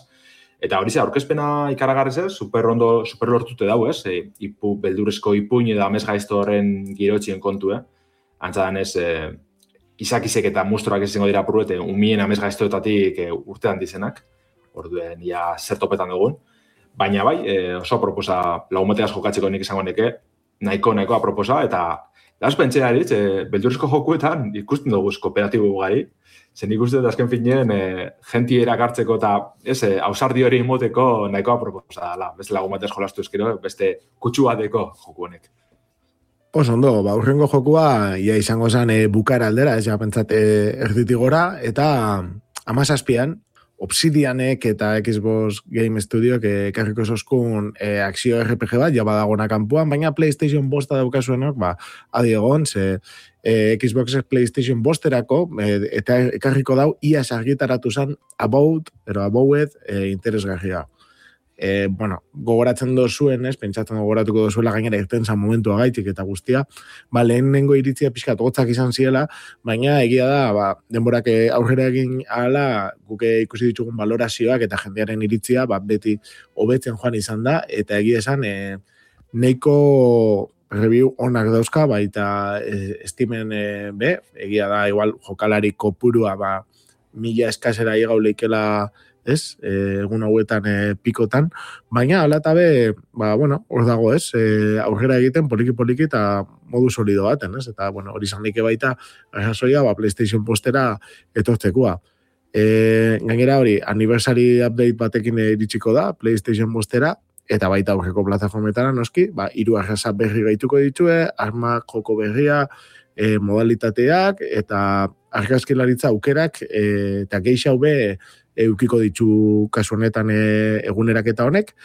Eta hori ze, aurkezpena ikaragarriz ez, super ondo, super lortute dau ez, e, ipu, beldurezko ipuin eta amez gaizto horren girotxien kontu, eh? Antzadan ez, e, izakizek eta mustroak ez izango dira pruete, umien amez gaiztoetatik e, urtean dizenak, orduen ja zertopetan dugun. Baina bai, e, oso proposa lagumateaz jokatzeko nik izango neke, nahiko nahikoa proposa, eta das pentsea eritz, e, beldurezko jokuetan ikusten dugu kooperatibo gari, zen ikusten dut azken finean e, jenti erakartzeko eta ez, e, ausardi hori imoteko nahikoa proposa dela. Beste lagumateaz jolastu ezkero, beste kutsu bateko joku honek. Oso ondo, ba, urrengo jokua, ia izango zen e, bukara aldera, ez ja pentsat e, erditik gora, eta amazazpian, Obsidianek eta Xbox Game Studiok ekarriko zoskun e, akzio R P G bat, ja badagona kanpuan, baina PlayStation bosta daukasuenok, ba, adi egon, ze e, Xbox PlayStation bosterako, e, eta ekarriko dau, iaz argitaratu zen About, ero Abowed, e, interesgarria. E, bueno, gogoratzen dozuen, ez, pentsatzen gogoratuko dozuela gainera irten zan momentua gaitik eta guztia, ba, lehenengo iritzia pixkat gotzak izan ziela, baina egia da, ba, denborak aurrera egin ala, guke ikusi ditugun valorazioak eta jendearen iritzia, ba, beti hobetzen joan izan da, eta egia esan, e, neiko review onak dauzka, baita e, Steamen e, be, egia da, igual, jokalari kopurua, ba, mila eskasera igau leikela, ez, e, egun hauetan e, pikotan, baina alatabe, ba, bueno, hor dago, ez, e, aurrera egiten poliki-poliki eta modu solido baten, ez, eta, bueno, hori zanike baita, arrazoia, ba, PlayStation postera etortzekua. E, gainera hori, anniversary update batekin iritsiko da, PlayStation postera, eta baita aurreko plataformetara, noski, ba, hiru arraza berri gaituko ditue, arma joko berria, e, modalitateak, eta argazkilaritza aukerak, e, eta geixau be, eukiko ditu kasu honetan e, eguneraketa honek.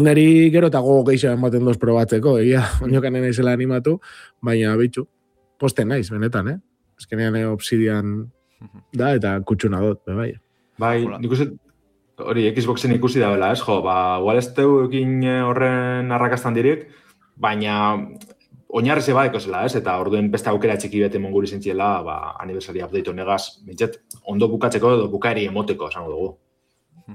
Neri gero eta gogo gehiago ematen doz probatzeko, egia, oinokanen naizela animatu, baina bitxu, posten naiz, benetan, eh? Ezkenean e, Obsidian da, eta kutsuna dut, be bai. Bai, nik uste, hori Xboxen ikusi da bela, ez, jo, ba, igual ez teu egin horren arrakastan direk, baina oinarrize badeko zela, ez, eta orduen beste aukera txiki bete monguri zentziela, ba, aniversari update honegaz, bintzat, ondo bukatzeko edo bukaeri emoteko, esango dugu.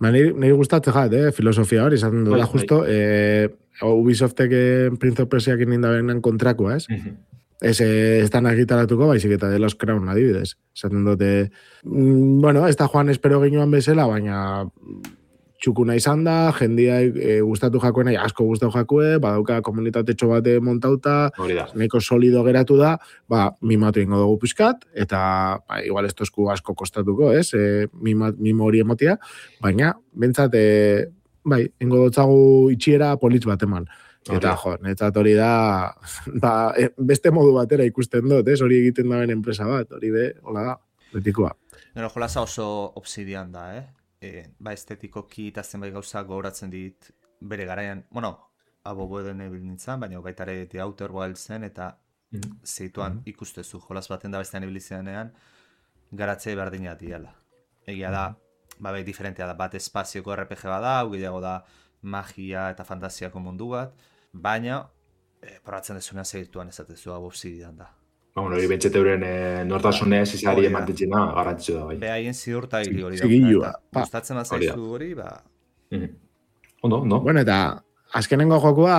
Ba, niri, niri gustatzen jat, eh, filosofia hori, esaten dut, justo, eh, Ubisoftek Prince of Persiak indabenan kontrakoa, ez? Mm-hmm. Ez, eh, ez da nagitaratuko, baizik eta de los Crown, adibidez. Esaten dute, mm, bueno, ez da joan espero ginoan bezala, baina txukuna izan da, jendia e, gustatu jakoena, asko gustatu jakue, badauka komunitate bate montauta, neko solido geratu da, ba, mimatu ingo dugu pizkat, eta ba, igual ez tozku asko kostatuko, ez, e, mima, mimo hori emotia, baina, bentsat, e, bai, ingo dutzagu itxiera politz bat eman. Eta, jo, netzat hori da, ba, e, beste modu batera ikusten dut, ez, hori egiten daben enpresa bat, hori be, hola da, betikoa. Nero, jolaza oso Obsidian da, eh? E, ba estetikoki eta zenbait gauza gogoratzen dit bere garaian, bueno, Aboweden ebil nintzen, baina baita ere The Outer Wildsen eta mm-hmm. zeituan mm-hmm. ikustezu, jolaz baten da bestean ibilizenean garatze berdina diala. Egia da, ba bai diferentea da, bat espazioko R P G bada, hau gehiago da magia eta fantasiako mundu bat, baina e, probatzen dezunean segituan ezatezu hau Obsidian da. Ba, bueno, hori bentsete euren e, nortasunez izari emantetxena garantitzu da, bai. Behaien zidurta hili hori da. Gustatzen bazaizu hori, ba... Mm-hmm. Ondo, ondo. Bueno, eta azkenengo jokua,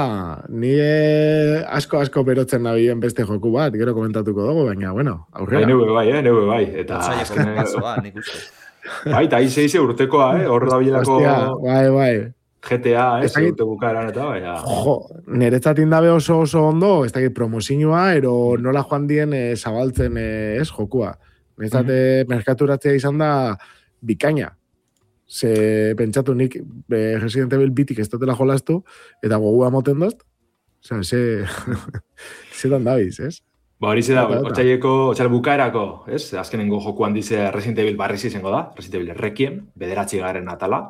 nire asko-asko berotzen nabien beste joku bat, gero komentatuko dugu, baina, bueno, aurrera. Bai, neue bai, eh, neue bai. Eta azkenengo nik uste. Bai, eta aize ize urtekoa, eh, hor da bilako... Bai, bai. G T A, ez, eh, urte bukaeran eta bai. Jo, niretzat indabe oso oso ondo, ez dakit promozinua, ero nola joan dien e, zabaltzen e, ez jokua. Niretzat mm-hmm. merkaturatzea izan da bikaina. Ze pentsatu nik be, Resident Evil bitik ez dutela jolastu, eta gogua moten dozt. Osa, ze... zetan dabiz, ez? Ba, hori ze da, otxaieko, otxail bukaerako, ez? Azkenengo jokuan dize Resident Evil barriz izango da, Resident Evil Requiem, bederatzi garen atala.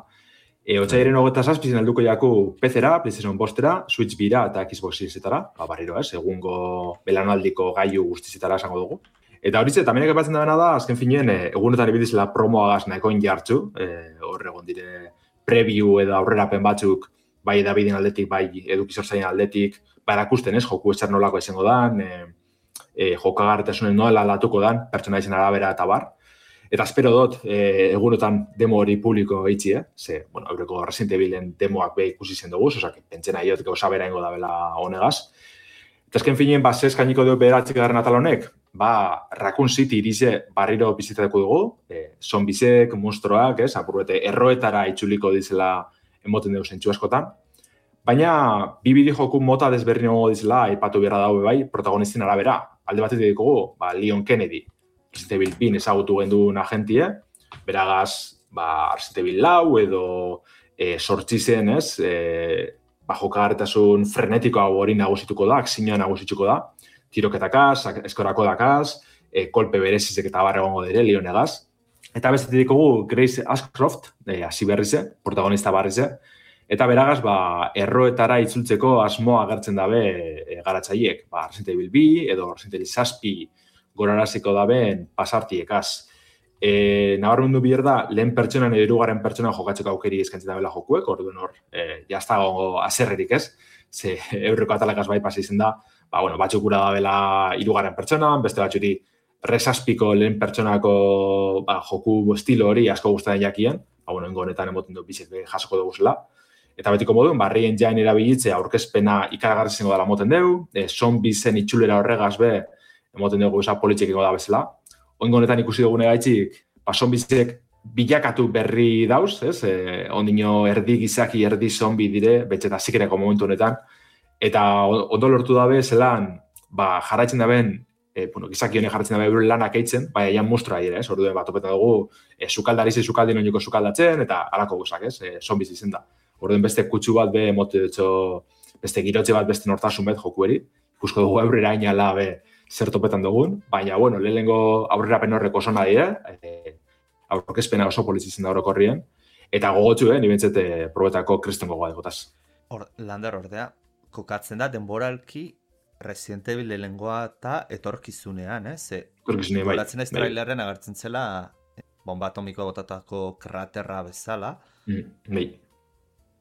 E, Otsaiaren hogeta zazpizien alduko jaku P C-era, PlayStation bostera, Switch bira eta Xbox Series-etara, ba, barriro ez, egungo belanaldiko gaiu guztizetara esango dugu. Eta hori ze, taminak epatzen da da, azken finean, e, egunetan ebidizela promoagaz nahikoin jartzu, e, hor egon dire preview edo aurrerapen batzuk, bai edabideen aldetik, bai edukizorzaien aldetik, ba erakusten ez, joku etxar nolako izango dan, e, e, jokagarretasunen nola latuko dan, pertsona izan arabera eta bar. Eta espero dut, e, egunotan demo hori publiko eitzi, eh? Ze, bueno, eureko Resident Evilen demoak be ikusi zen dugu, osak, pentsena iot gauza bera ingo da bela honegaz. Eta esken finien, ba, zez kainiko dugu beratzik garren atal honek, ba, Raccoon City irize barriro bizitatuko dugu, e, zombizek, monstruoak, ez, apurrete, erroetara itxuliko dizela emoten dugu zentsu askotan. Baina, bi bideojoku mota desberdin egongo dizela, aipatu beharra daue bai, protagonistin arabera. Alde batetik ditugu, ba, Leon Kennedy, Resident Evil bin ezagutu genduen agentie, beragaz, ba, Resident Evil lau edo e, sortzi zen, ez, e, ba, jokagarretasun frenetikoa hori nagusituko da, akzinoa nagusituko da, tiroketakaz, eskorako dakaz, e, kolpe berezizek eta barra egongo dire, Leonegaz. Eta bestetik ditugu Grace Ashcroft, e, hasi berrize, protagonista barrize, eta beragaz, ba, erroetara itzultzeko asmoa agertzen dabe e, garatzaiek, ba, Resident Evil bi edo Resident Evil zazpi goraraziko dabeen pasartiekaz. E, Nabarmendu bier da, lehen pertsonan edo hirugarren pertsonan jokatzeko aukeri eskaintzen dabela jokuek, orduan hor, e, jazta gongo azerrerik ez, ze eurreko atalakaz bai pasa izen da, ba, bueno, batzuk gura dabela hirugarren pertsonan, beste batzuri resazpiko lehen pertsonako ba, joku estilo hori asko guztaren jakien, ba, bueno, ingo honetan emoten du bizet jasoko dugu zela. Eta betiko moduen, barrien jain erabilitze aurkezpena ikaragarri zengo dela moten dugu, e, zombizen itxulera horregaz be, emoten dugu eza politxek ingo da bezala. Oingo honetan ikusi dugune gaitxik, ba, zombizek bilakatu berri dauz, ez? E, ondino erdi gizaki, erdi zombi dire, betxeta zikereko momentu honetan. Eta ondo lortu dabe, zelan, ba, jarraitzen daben, e, bueno, gizaki honek jarraitzen dabe bero lanak eitzen, baina ean mustroa dire, ez? Orduen bat opetan dugu, e, zukaldarize zukaldin oinoko zukaldatzen, eta alako guzak, ez? E, zombiz izen da. Orduen beste kutsu bat be, emote dutxo, beste girotxe bat, beste nortasun bet jokueri. Ikusko dugu aurrera inala be, zer topetan dugun, baina, bueno, lehenengo aurrerapen horreko oso nahi, eh? Aurkezpena oso polizitzen da orokorrien, eta gogotxu, eh? Nibentzete probetako kriston gogoa degotaz. Hor, Lander ordea, kokatzen da denboralki Resident Evil lehenengoa eta etorkizunean, eh? Ze, etorkizunean, bai. Goratzen ez trailerren agertzen zela bomba atomikoa botatako kraterra bezala. Mm, bai.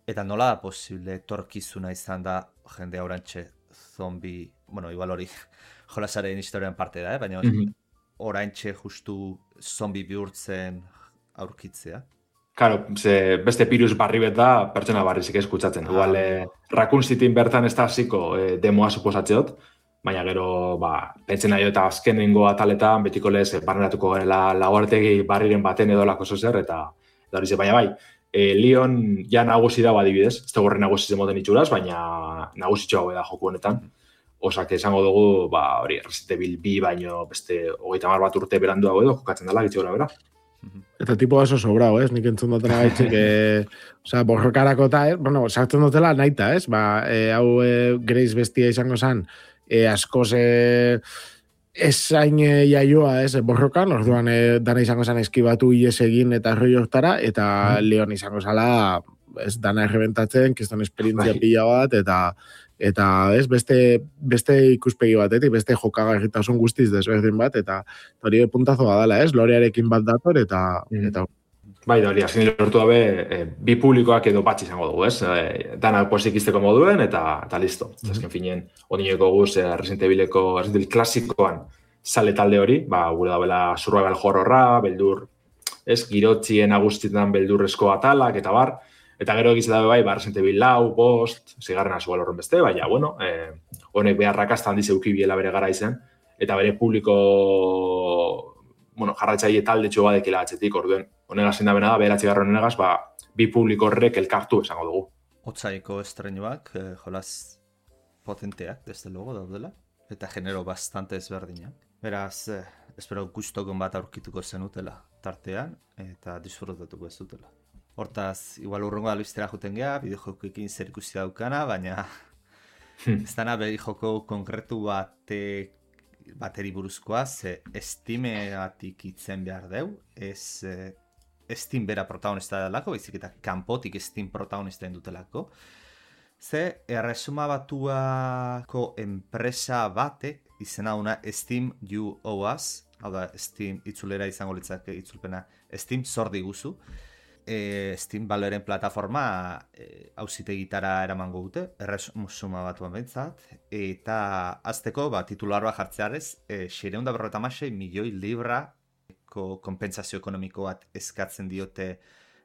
Eta nola da posible etorkizuna izan da jende aurantxe zombi, bueno, igual hori jolasaren historian parte da, eh? Baina mm-hmm. oraintxe justu zombi bihurtzen aurkitzea. Karo, ze beste virus barri bet da, pertsona barrizik eskutsatzen. Ah. Igual, eh, Raccoon Cityn bertan ez da hasiko eh, demoa suposatzeot, baina gero, ba, pentzen nahi eta azkenengo ataletan, betiko lez, eh, barneratuko garela laguartegi barriren baten edo lako zozer, eta, eta hori ze, baina bai, eh, Leon ja nagusi dago adibidez, ez da gorri nagusi zemoten itxuraz, baina nagusitxo hau da joku honetan. Osak esango dugu, ba, hori, Resident Evil bi baino beste hogeita hamar bat urte beranduago edo, jokatzen dela, gitxe gora bera. Eta tipo oso sobrao, ez? Nik entzun dutela gaitxik, e, oza, borrokarako eta, eh? Bueno, sartzen dutela naita, ez? Ba, e, hau e, Grace bestia izango zen, e, askoz e, esain e, jaioa, ez? Borrokan, orduan e, dana izango zen eskibatu ies egin eta roi hortara, eta mm. Leon izango zala, ez, dana errebentatzen, kiston esperientzia pila bat, eta eta ez, beste, beste ikuspegi batetik, beste jokagarritasun guztiz desberdin bat, eta hori puntazo badala, ez? Lorearekin bat dator, eta... Mm. eta... Bai, da hori, azken lortu dabe, e, bi publikoak edo bat izango dugu, ez? E, dana posik izteko moduen, eta, eta listo. Mm. Azken finien, ondineko guz, e, Resident Evileko, Resident Evil klasikoan, sale talde hori, ba, gure dabela survival horrorra, beldur, ez? Girotzien agustietan beldurrezko atalak, eta bar, eta gero egiz dabe bai, ba, Resident Evil lau, bost, zigarren azugal horren beste, baina, bueno, eh, honek beharrakazta handiz eukibiela bere gara izan, eta bere publiko, bueno, jarratzaile talde txo badekila atzetik, orduen, honegaz indabena da, beheratzi garron honegaz, ba, bi publiko horrek elkartu esango dugu. Otsaiko estrenuak, eh, jolas potenteak, desde logo daudela, eta genero bastante ezberdinak. Beraz, eh, espero gustokon bat aurkituko zenutela tartean, eta disfrutatuko ez dutela. Hortaz, igual urrengo albistera juten geha, bideojokoekin zer ikusi daukana, baina ez dana bidejoko konkretu bate, bateri buruzkoa, ze Steamatik itzen behar deu, ez eh, Steam bera protagonista delako, baizik eta kanpotik Steam protagonista dutelako. Ze erresuma batuako enpresa batek, izena una Steam U O S, hau da Steam itzulera izango litzake itzulpena, Steam zor diguzu, E, Steam Valoreen plataforma e, auzitegitara eramango dute, erresuma batuan behintzat, eta azteko ba, titular bat jartzearez, e, seiehun eta berrogeita hamasei milioi libra olako konpentsazio ekonomiko bat eskatzen diote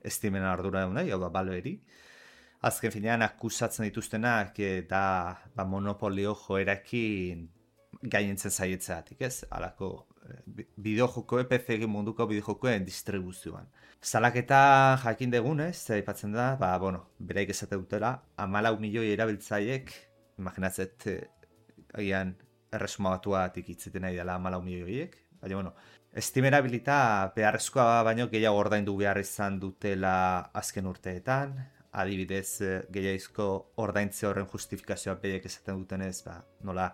Steamen ardura nahi, hau da Valveri. Azken finean akusatzen dituztenak e, da ba, monopolio joerakin gainentzen zaietzeatik, ez? Halako bideojokoen, P C munduko bideojokoen distribuzioan. Salaketa jakin degunez, aipatzen da, ba, bueno, beraik esate dutela, hamalau milioi erabiltzaiek, imaginatzet, agian erresuma batuatik itzeten nahi dela hamalau milioiek, baina, bueno, Steam erabilita beharrezkoa baino gehiago ordaindu behar izan dutela azken urteetan, adibidez gehiagizko ordaintze horren justifikazioa behiek esaten dutenez, ba, nola,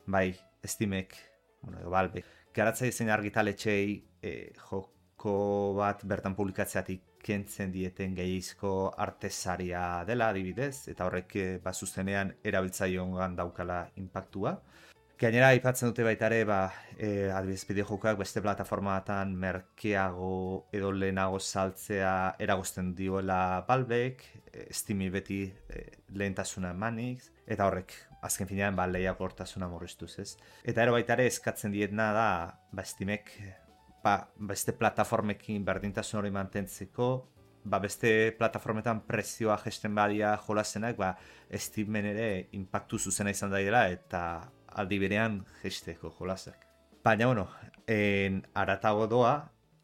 bai, Steamek, bueno, edo Valve, garatza izen argitaletxei e, joko bat bertan publikatzeatik kentzen dieten gehiagizko artesaria dela, adibidez, eta horrek e, ba, zuzenean erabiltzailongan daukala impactua. Gainera, aipatzen dute baita ere, ba, e, adibidez bideojokoak beste plataformatan merkeago edo lehenago saltzea eragozten dioela Valvek, e, Steami beti e, lehentasuna emanik, eta horrek, azken finean, ba, lehiakortasuna murriztuz, ez? Eta ero baita ere eskatzen dietna da, ba, Steamek, ba, beste plataformekin berdintasun hori mantentzeko, ba, beste plataformetan prezioa gesten badia jolasenak, ba, Steamen ere impactu zuzena izan daidela, eta aldi berean gesteko jolasak. Baina, bueno, en aratago doa,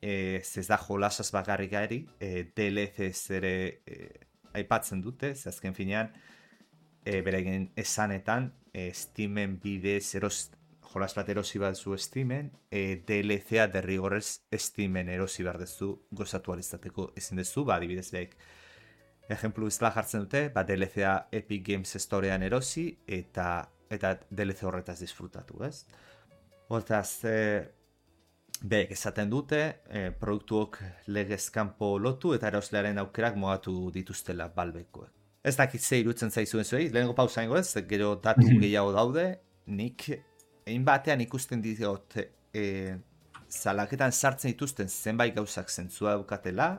e, ez da jolasaz bakarrik gari, e, D L Cs ere e, aipatzen dute, ze azken finean, e, beregin esanetan, e, Steamen bidez eros, jolas bat erosi bat zu Steamen, e, D L C-a derrigorrez Steamen erosi behar dezu gozatu alizateko ezin dezu, ba, adibidez behik. Ejemplu izela jartzen dute, ba, D L C-a Epic Games Storean erosi, eta eta D L C horretaz disfrutatu, ez? Hortaz, e, behek esaten dute, e, produktuok legez kanpo lotu eta eroslearen aukerak mogatu dituztela Valvekoek. Ez dakit ze irutzen zaizuen zuei, lehenengo pausa ingo ez, gero datu gehiago daude, nik egin batean ikusten diot e, zalaketan sartzen dituzten zenbait gauzak zentzua daukatela,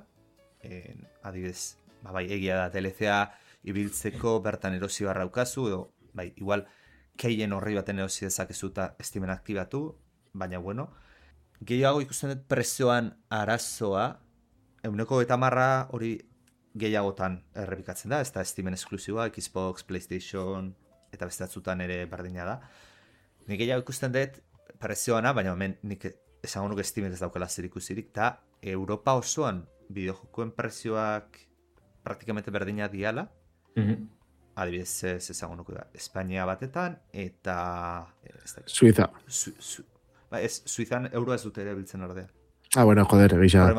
e, adibidez, ba, bai, egia da D L C-a ibiltzeko bertan erosi barra ukazu, edo, bai, igual, keien horri baten erosi dezakezu eta Steamen aktibatu, baina bueno, gehiago ikusten dut prezioan arazoa, eguneko eta marra hori gehiagotan errepikatzen da, ez da Steamen esklusiboa, Xbox, PlayStation, eta beste batzutan ere berdina da. Nik gehiago ikusten dut prezioana, baina hemen nik esango nuke Steamen ez daukala zer ikusirik, eta Europa osoan bideojokoen prezioak praktikamente berdina diala, mm-hmm. Adibidez, ez ezagun nuke da, Espainia batetan, eta... Suiza. Su, su, ba, ez, Suizan euroa ez dute ere biltzen ordea. Ah, bueno, joder, egisa.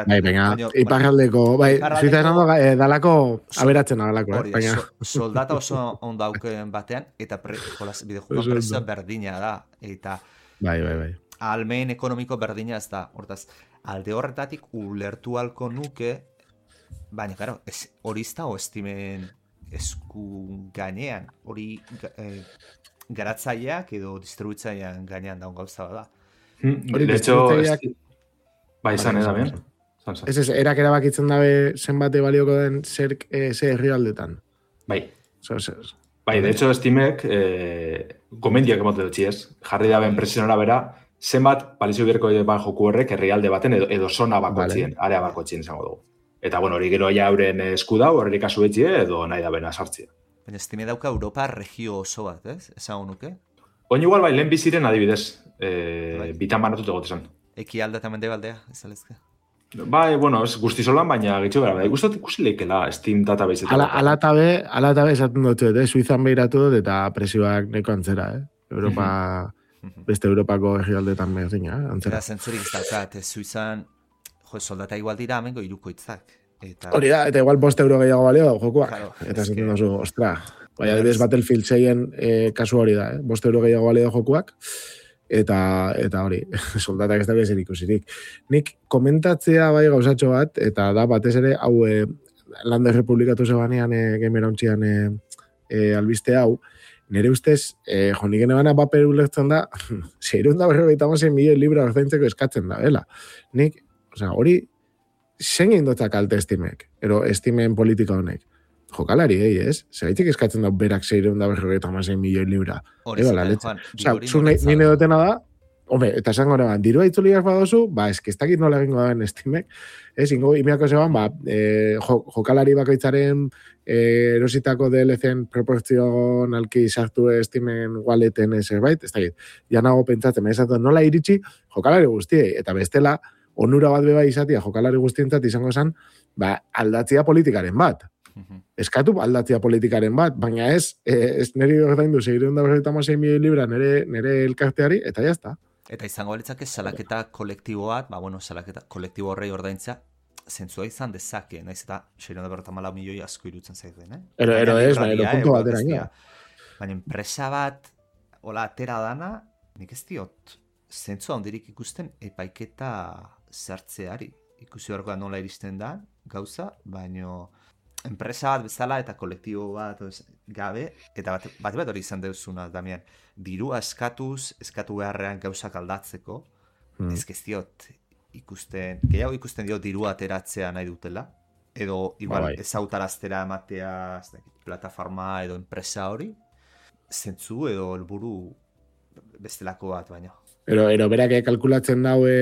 Bai, venga, iparraldeko, bai, Suiza esan doga, eh, dalako aberatzen agalako, eh, baina. So, soldata oso ondauken batean, eta pre, jolaz, bideojukoan prezioa berdina da, eta... Bai, bai, bai. Almen ekonomiko berdina ez da, hortaz, alde horretatik ulertu halko nuke, baina, claro, hori ez da o Steamen esku gainean, hori eh, garatzaileak edo distribuitzailean gainean daun gauza da. Hori, de hecho, bai, izan edo, bien? Ez ez, erak erabakitzen dabe zenbate balioko den zer ze herrialdetan. Bai. So, so, so. Bai, de hecho, Steamek eh, gomendiak emote dutxi ez. Jarri daben presionora bera, zenbat palizio berko ban joku horrek herrialde baten edo, edo zona bakotzien, vale. Area bakotzien izango dugu. Eta, bueno, hori gero ja euren esku dau, horri kasu etxie, edo nahi da bena sartzia. Baina Steam dauka Europa regio oso bat, ez? Ezagun nuke? Oin igual, bai, lehen biziren adibidez, e, bai. Bitan banatut egotezan. Eki alda eta mendebaldea, ez alezke? Bai, bueno, ez guztizolan, baina gitxo bera, bai, guztot ikusi leikela Steam database. Ala, ala tabe, ala tabe esaten dut, eh? Suizan behiratu dut eta presioak neko antzera, eh? Europa, beste Europako herrialdetan berdina, eh? Antzera. Eta zentzurik ez daukat, Suizan... Jo, soldata igual dira amengo irukoitzak. Eta... Hori da, eta igual bost euro gehiago balio jokuak. Claro, eta zaten dozu, ostra. Baina, adibidez Battlefield seien eh, kasu hori da, eh? bost euro gehiago balio jokuak. Eta, eta hori, soldatak ez da bezer ikusirik. Nik komentatzea bai gauzatxo bat, eta da batez ere, hau eh, Lander Republikatu zebanean eh, gamera ontzian eh, eh, albiste hau, nire ustez, eh, jo, nik enebana paper ulertzen da, zeirun da berrogeita mazen milioi libra ordaintzeko eskatzen da, bela. Nik, osea, hori, zein egin dotzak kalte Steamek, ero Steamen politika honek. Jokalari, eh, ez? Zeraitik eskatzen da berak zeireun da berrogeita mazen milioi libra. Hori zen, Juan. Osea, zuk nire dutena da, hombre, eta esango neban, dirua itzuliak badozu, ba, eski ez dakit nola egingo daben Steamek, ez, ingo, imiako zeban, ba, e, jo, jokalari bakoitzaren e, erositako D L C-en proportzionalki sartu Steamen walleten zerbait, ez dakit, ja nago pentsatzen, esatu, nola iritsi jokalari guztiei, eta bestela, onura bat beba izatia jokalari guztientzat izango zen, ba, aldatzia politikaren bat. Eskatu aldatzia politikaren bat, baina ez, ez niri ordaindu seiehun eta berrogeita hamasei milioi libra nere, nere elkarteari, eta jazta. Eta izango litzake salaketa kolektibo bat, ba, bueno, salaketa kolektibo horrei ordaintzea, zentzua izan dezake, naiz eta seiehun eta berrogeita hamalau milioi asko irutzen zaiten, eh? Ero, ero ez, baina ero punto bat eraino. Baina enpresa bat, hola, atera dana, nik ez diot, zentzua ondirik ikusten epaiketa zertzeari. Ikusi horrekoa nola iristen da, gauza, baino enpresa bat bezala eta kolektibo bat gabe, eta bat, bat bat hori izan deuzuna, Damian, dirua eskatuz, eskatu beharrean gauzak aldatzeko, hmm. ez diot ikusten, gehiago ikusten diot dirua ateratzea nahi dutela, edo igual ez autaraztera ematea plataforma edo enpresa hori, zentzu edo helburu bestelako bat baino. Ero, ero berak kalkulatzen daue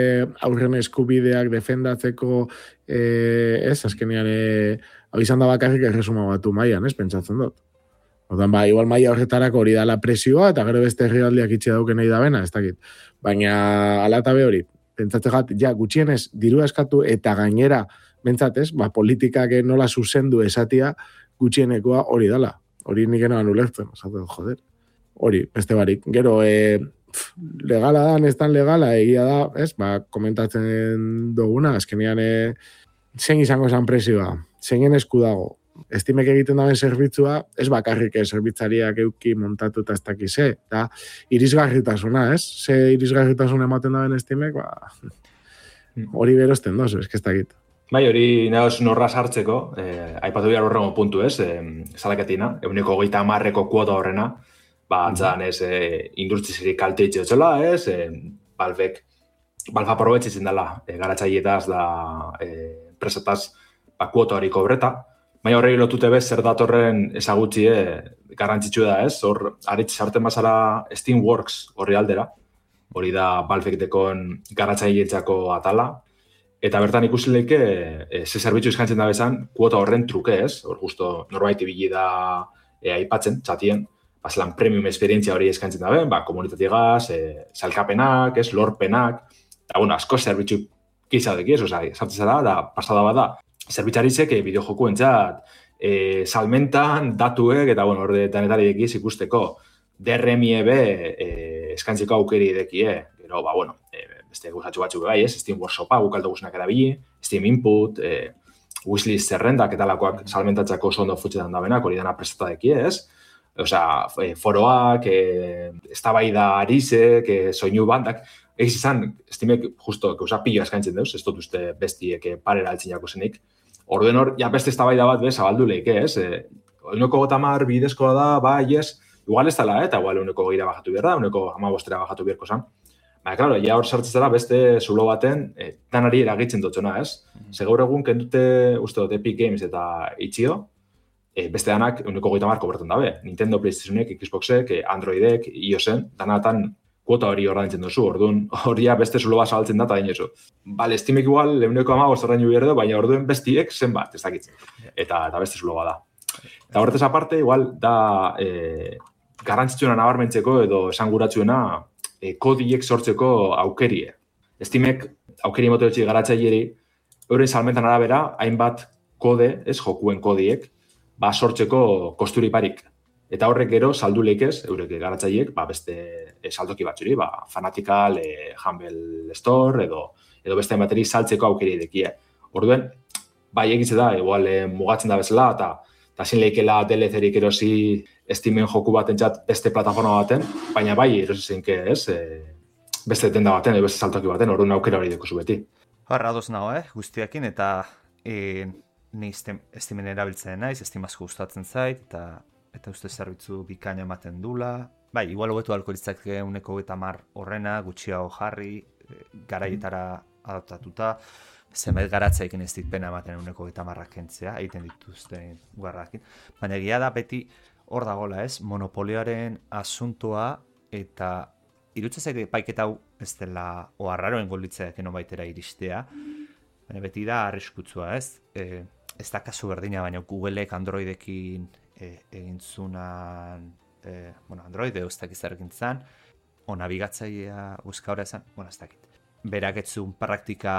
aurren eskubideak defendatzeko, eh, ez, azkenean, eh, hau izan da bakarrik erresuma batu maian, ez, pentsatzen dut. Odan, ba, igual maia horretarako hori dala presioa, eta gero beste herrialdiak itxe dauken nahi da bena, ez dakit. Baina, ala eta be hori, pentsatzen gat, ja, gutxienez, diru eskatu eta gainera, bentsatez, ba, politikak nola zuzendu esatia, gutxienekoa hori dala. Hori nik enoan ulertzen, esaten, joder. Hori, beste barik. Gero, e, pf, legala da, ez tan legala, egia da, ez, ba, komentatzen duguna, azkenean, e, zein izango esan presioa, zeinen esku dago, Steamek egiten daben zerbitzua, ez bakarrik zerbitzariak euki montatu eta ez dakize, eta irisgarritasuna, ez? Ze irisgarritasun ematen daben Steamek, ba, hori berosten dozu, ez ez dakit. Bai, hori nahoz norra sartzeko, eh, aipatu behar horrengo puntu, ez? Eh, Zalaketina, eguneko hogeita hamarreko kuota horrena, ba, antzan, ez, eh, industrizeri kalte itxeotzela, ez? Eh, Balbek, Balfa aprobetxitzen dela, eh, garatzaietaz da, eh, enpresataz, ba, kuota hori kobreta, baina horregi lotute bez, zer datorren ezagutzie garrantzitsu da, ez? Hor, aritz sarten bazara Steamworks horri aldera, hori da Valvek dekon garatzailetzako atala, eta bertan ikusi leike, e, ze zerbitzu eskaintzen da bezan, kuota horren truke, ez? Hor, justo norbait ibili da e, aipatzen, txatien, bazelan premium esperientzia hori eskaintzen da ben, ba, komunitatigaz, e, salkapenak, ez, lorpenak, eta, bueno, asko zerbitzu kizadeki, ez, oza, sartzen zara, da, pasada bada, zerbitzarizek e, bideojoku entzat, e, salmentan, datuek, eta, bueno, hor denetari ekiz ikusteko, D R M E B e, eskaintzeko aukeri edekie, gero, ba, bueno, e, beste guzatxu batzu bai, ez, Steam Workshopa, gukaldo guztiak erabili, Steam Input, e, wishlist zerrendak eta lakoak salmentatzako oso ondo futxetan da benak, hori dena prestata dekie, ez? Osea, e, foroak, e, eztabaida arizek, e, soinu bandak, egiz izan, Steamek justo, gauza pilo eskaintzen deuz, ez dut uste bestiek parera altzinako zenik. Orduen hor, ja beste eztabaida bat bez, abaldu leike, ez? E, uneko gotamar bidezkoa da, bai, ez, igual ez dela, eta igual uneko gira bajatu behar da, uneko amabostera bajatu beharko zan. Baina, klaro, ja hor sartzen zara beste zulo baten, e, danari eragitzen dutxona, ez? Mm-hmm. Segaur egun kendute, uste dut, Epic Games eta Itxio, e, beste danak uneko goita marko bertan dabe. Nintendo, PlayStationek, Xboxek, Androidek, iOSen, danatan kuota hori ordaintzen duzu, orduan horia beste zulo bat saltzen da, eta dainezu. Bale, Steamek igual, leuneko amabost ordainu behar du, baina orduen bestiek zenbat, ez dakitzen. Eta, eta beste zulo bat da. Eta horretaz aparte, igual, da e, garrantzitsuena nabarmentzeko edo esanguratsuena e, kodiek sortzeko aukerie. Steamek aukeri mototxi garatzaileri, euren salmentan arabera, hainbat kode, ez jokuen kodiek, ba sortzeko kosturiparik. Eta horrek gero saldu leikez, eurek garatzaileek, ba beste e, saldoki batzuri, ba Fanatical, e, Humble Store edo edo beste bateri saltzeko aukeri dekie. Orduen, bai egitze da, igual e, mugatzen da bezala eta eta sin leikela D L C-rik erosi Steamen joku batentzat beste plataforma baten, baina bai erosi zenke, ez? E, beste tenda baten edo beste saltoki baten, orduan aukera hori dekozu beti. Harra ados nago, eh, guztiakin eta e, ni Steamen erabiltzen naiz, Steam asko gustatzen zait eta eta uste zerbitzu bikaina ematen dula. Bai, igual hobetu alko litzake uneko hogeita hamar horrena, gutxiago jarri, garaietara adaptatuta, zenbait garatzaikin ez dit pena ematen uneko hogeita hamarrak kentzea, egiten dituzten guarrakin. Baina egia da beti hor dagoela, ez? Monopolioaren asuntoa eta irutzen zaite paiketa hau ez dela, o arraroen golditzeak eno baitera iristea, baina beti da arriskutsua, ez? E, ez da kasu berdina, baina Googleek Androidekin e, egin zunan, e, bueno, Android edo ez dakiz ergintzan, o nabigatzailea euskara esan, bueno, ez dakit. Berak etzun praktika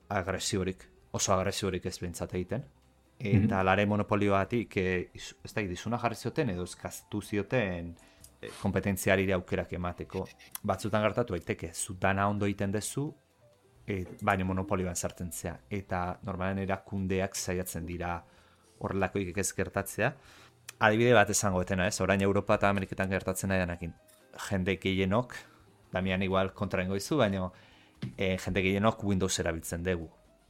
agresiborik, oso agresiborik ez behintzat egiten. Eta mm-hmm. lare monopolioatik, e, ez da, dizuna jarri zioten edo eskaztu zioten e, kompetentziari aukerak emateko. Batzutan gertatu daiteke, zu dana ondo egiten dezu, e, baina monopolioan sartzen zea. Eta normalen erakundeak saiatzen dira horrelakoik ez gertatzea. Adibide bat esango etena, ez? Orain Europa eta Ameriketan gertatzen nahi danakin. Jende gehienok, damian igual kontraengo izu, baina e, jende gehienok Windows erabiltzen dugu.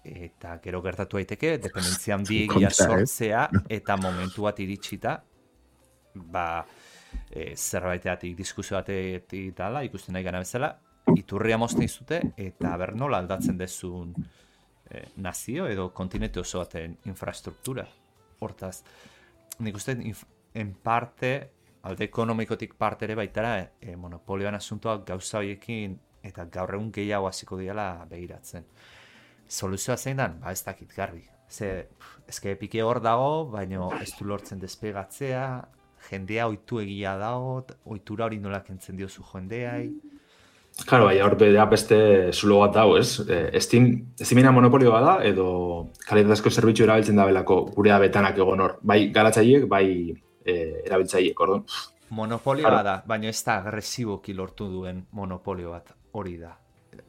Eta gero gertatu daiteke, dependentzia handiegia sortzea, eta momentu bat iritsita, ba, e, zerbaiteatik, diskusio batetik dala, ikusten nahi gana bezala, iturria mozten izute, eta ber nola aldatzen dezun e, nazio edo kontinente oso baten infrastruktura. Hortaz, nik uste, en parte, alde ekonomikotik parte ere baitara, e, monopolioan asuntoak gauza horiekin, eta gaur egun gehiago hasiko diala begiratzen. Soluzioa zein dan? Ba ez dakit garbi. Ze, ezke pike hor dago, baina ez du lortzen despegatzea, jendea ohitu egia dago, ohitura hori nola kentzen diozu jendeai. Claro, bai, hor bedea beste zulo bat dago, ez? Eh, Steam, Steamena monopolioa da, edo kalitatezko zerbitzu erabiltzen da belako gurea betanak egon hor. Bai garatzaileek, bai eh, erabiltzaileek, orduan. Monopolioa claro. Da, baina ez da agresiboki lortu duen monopolio bat hori da.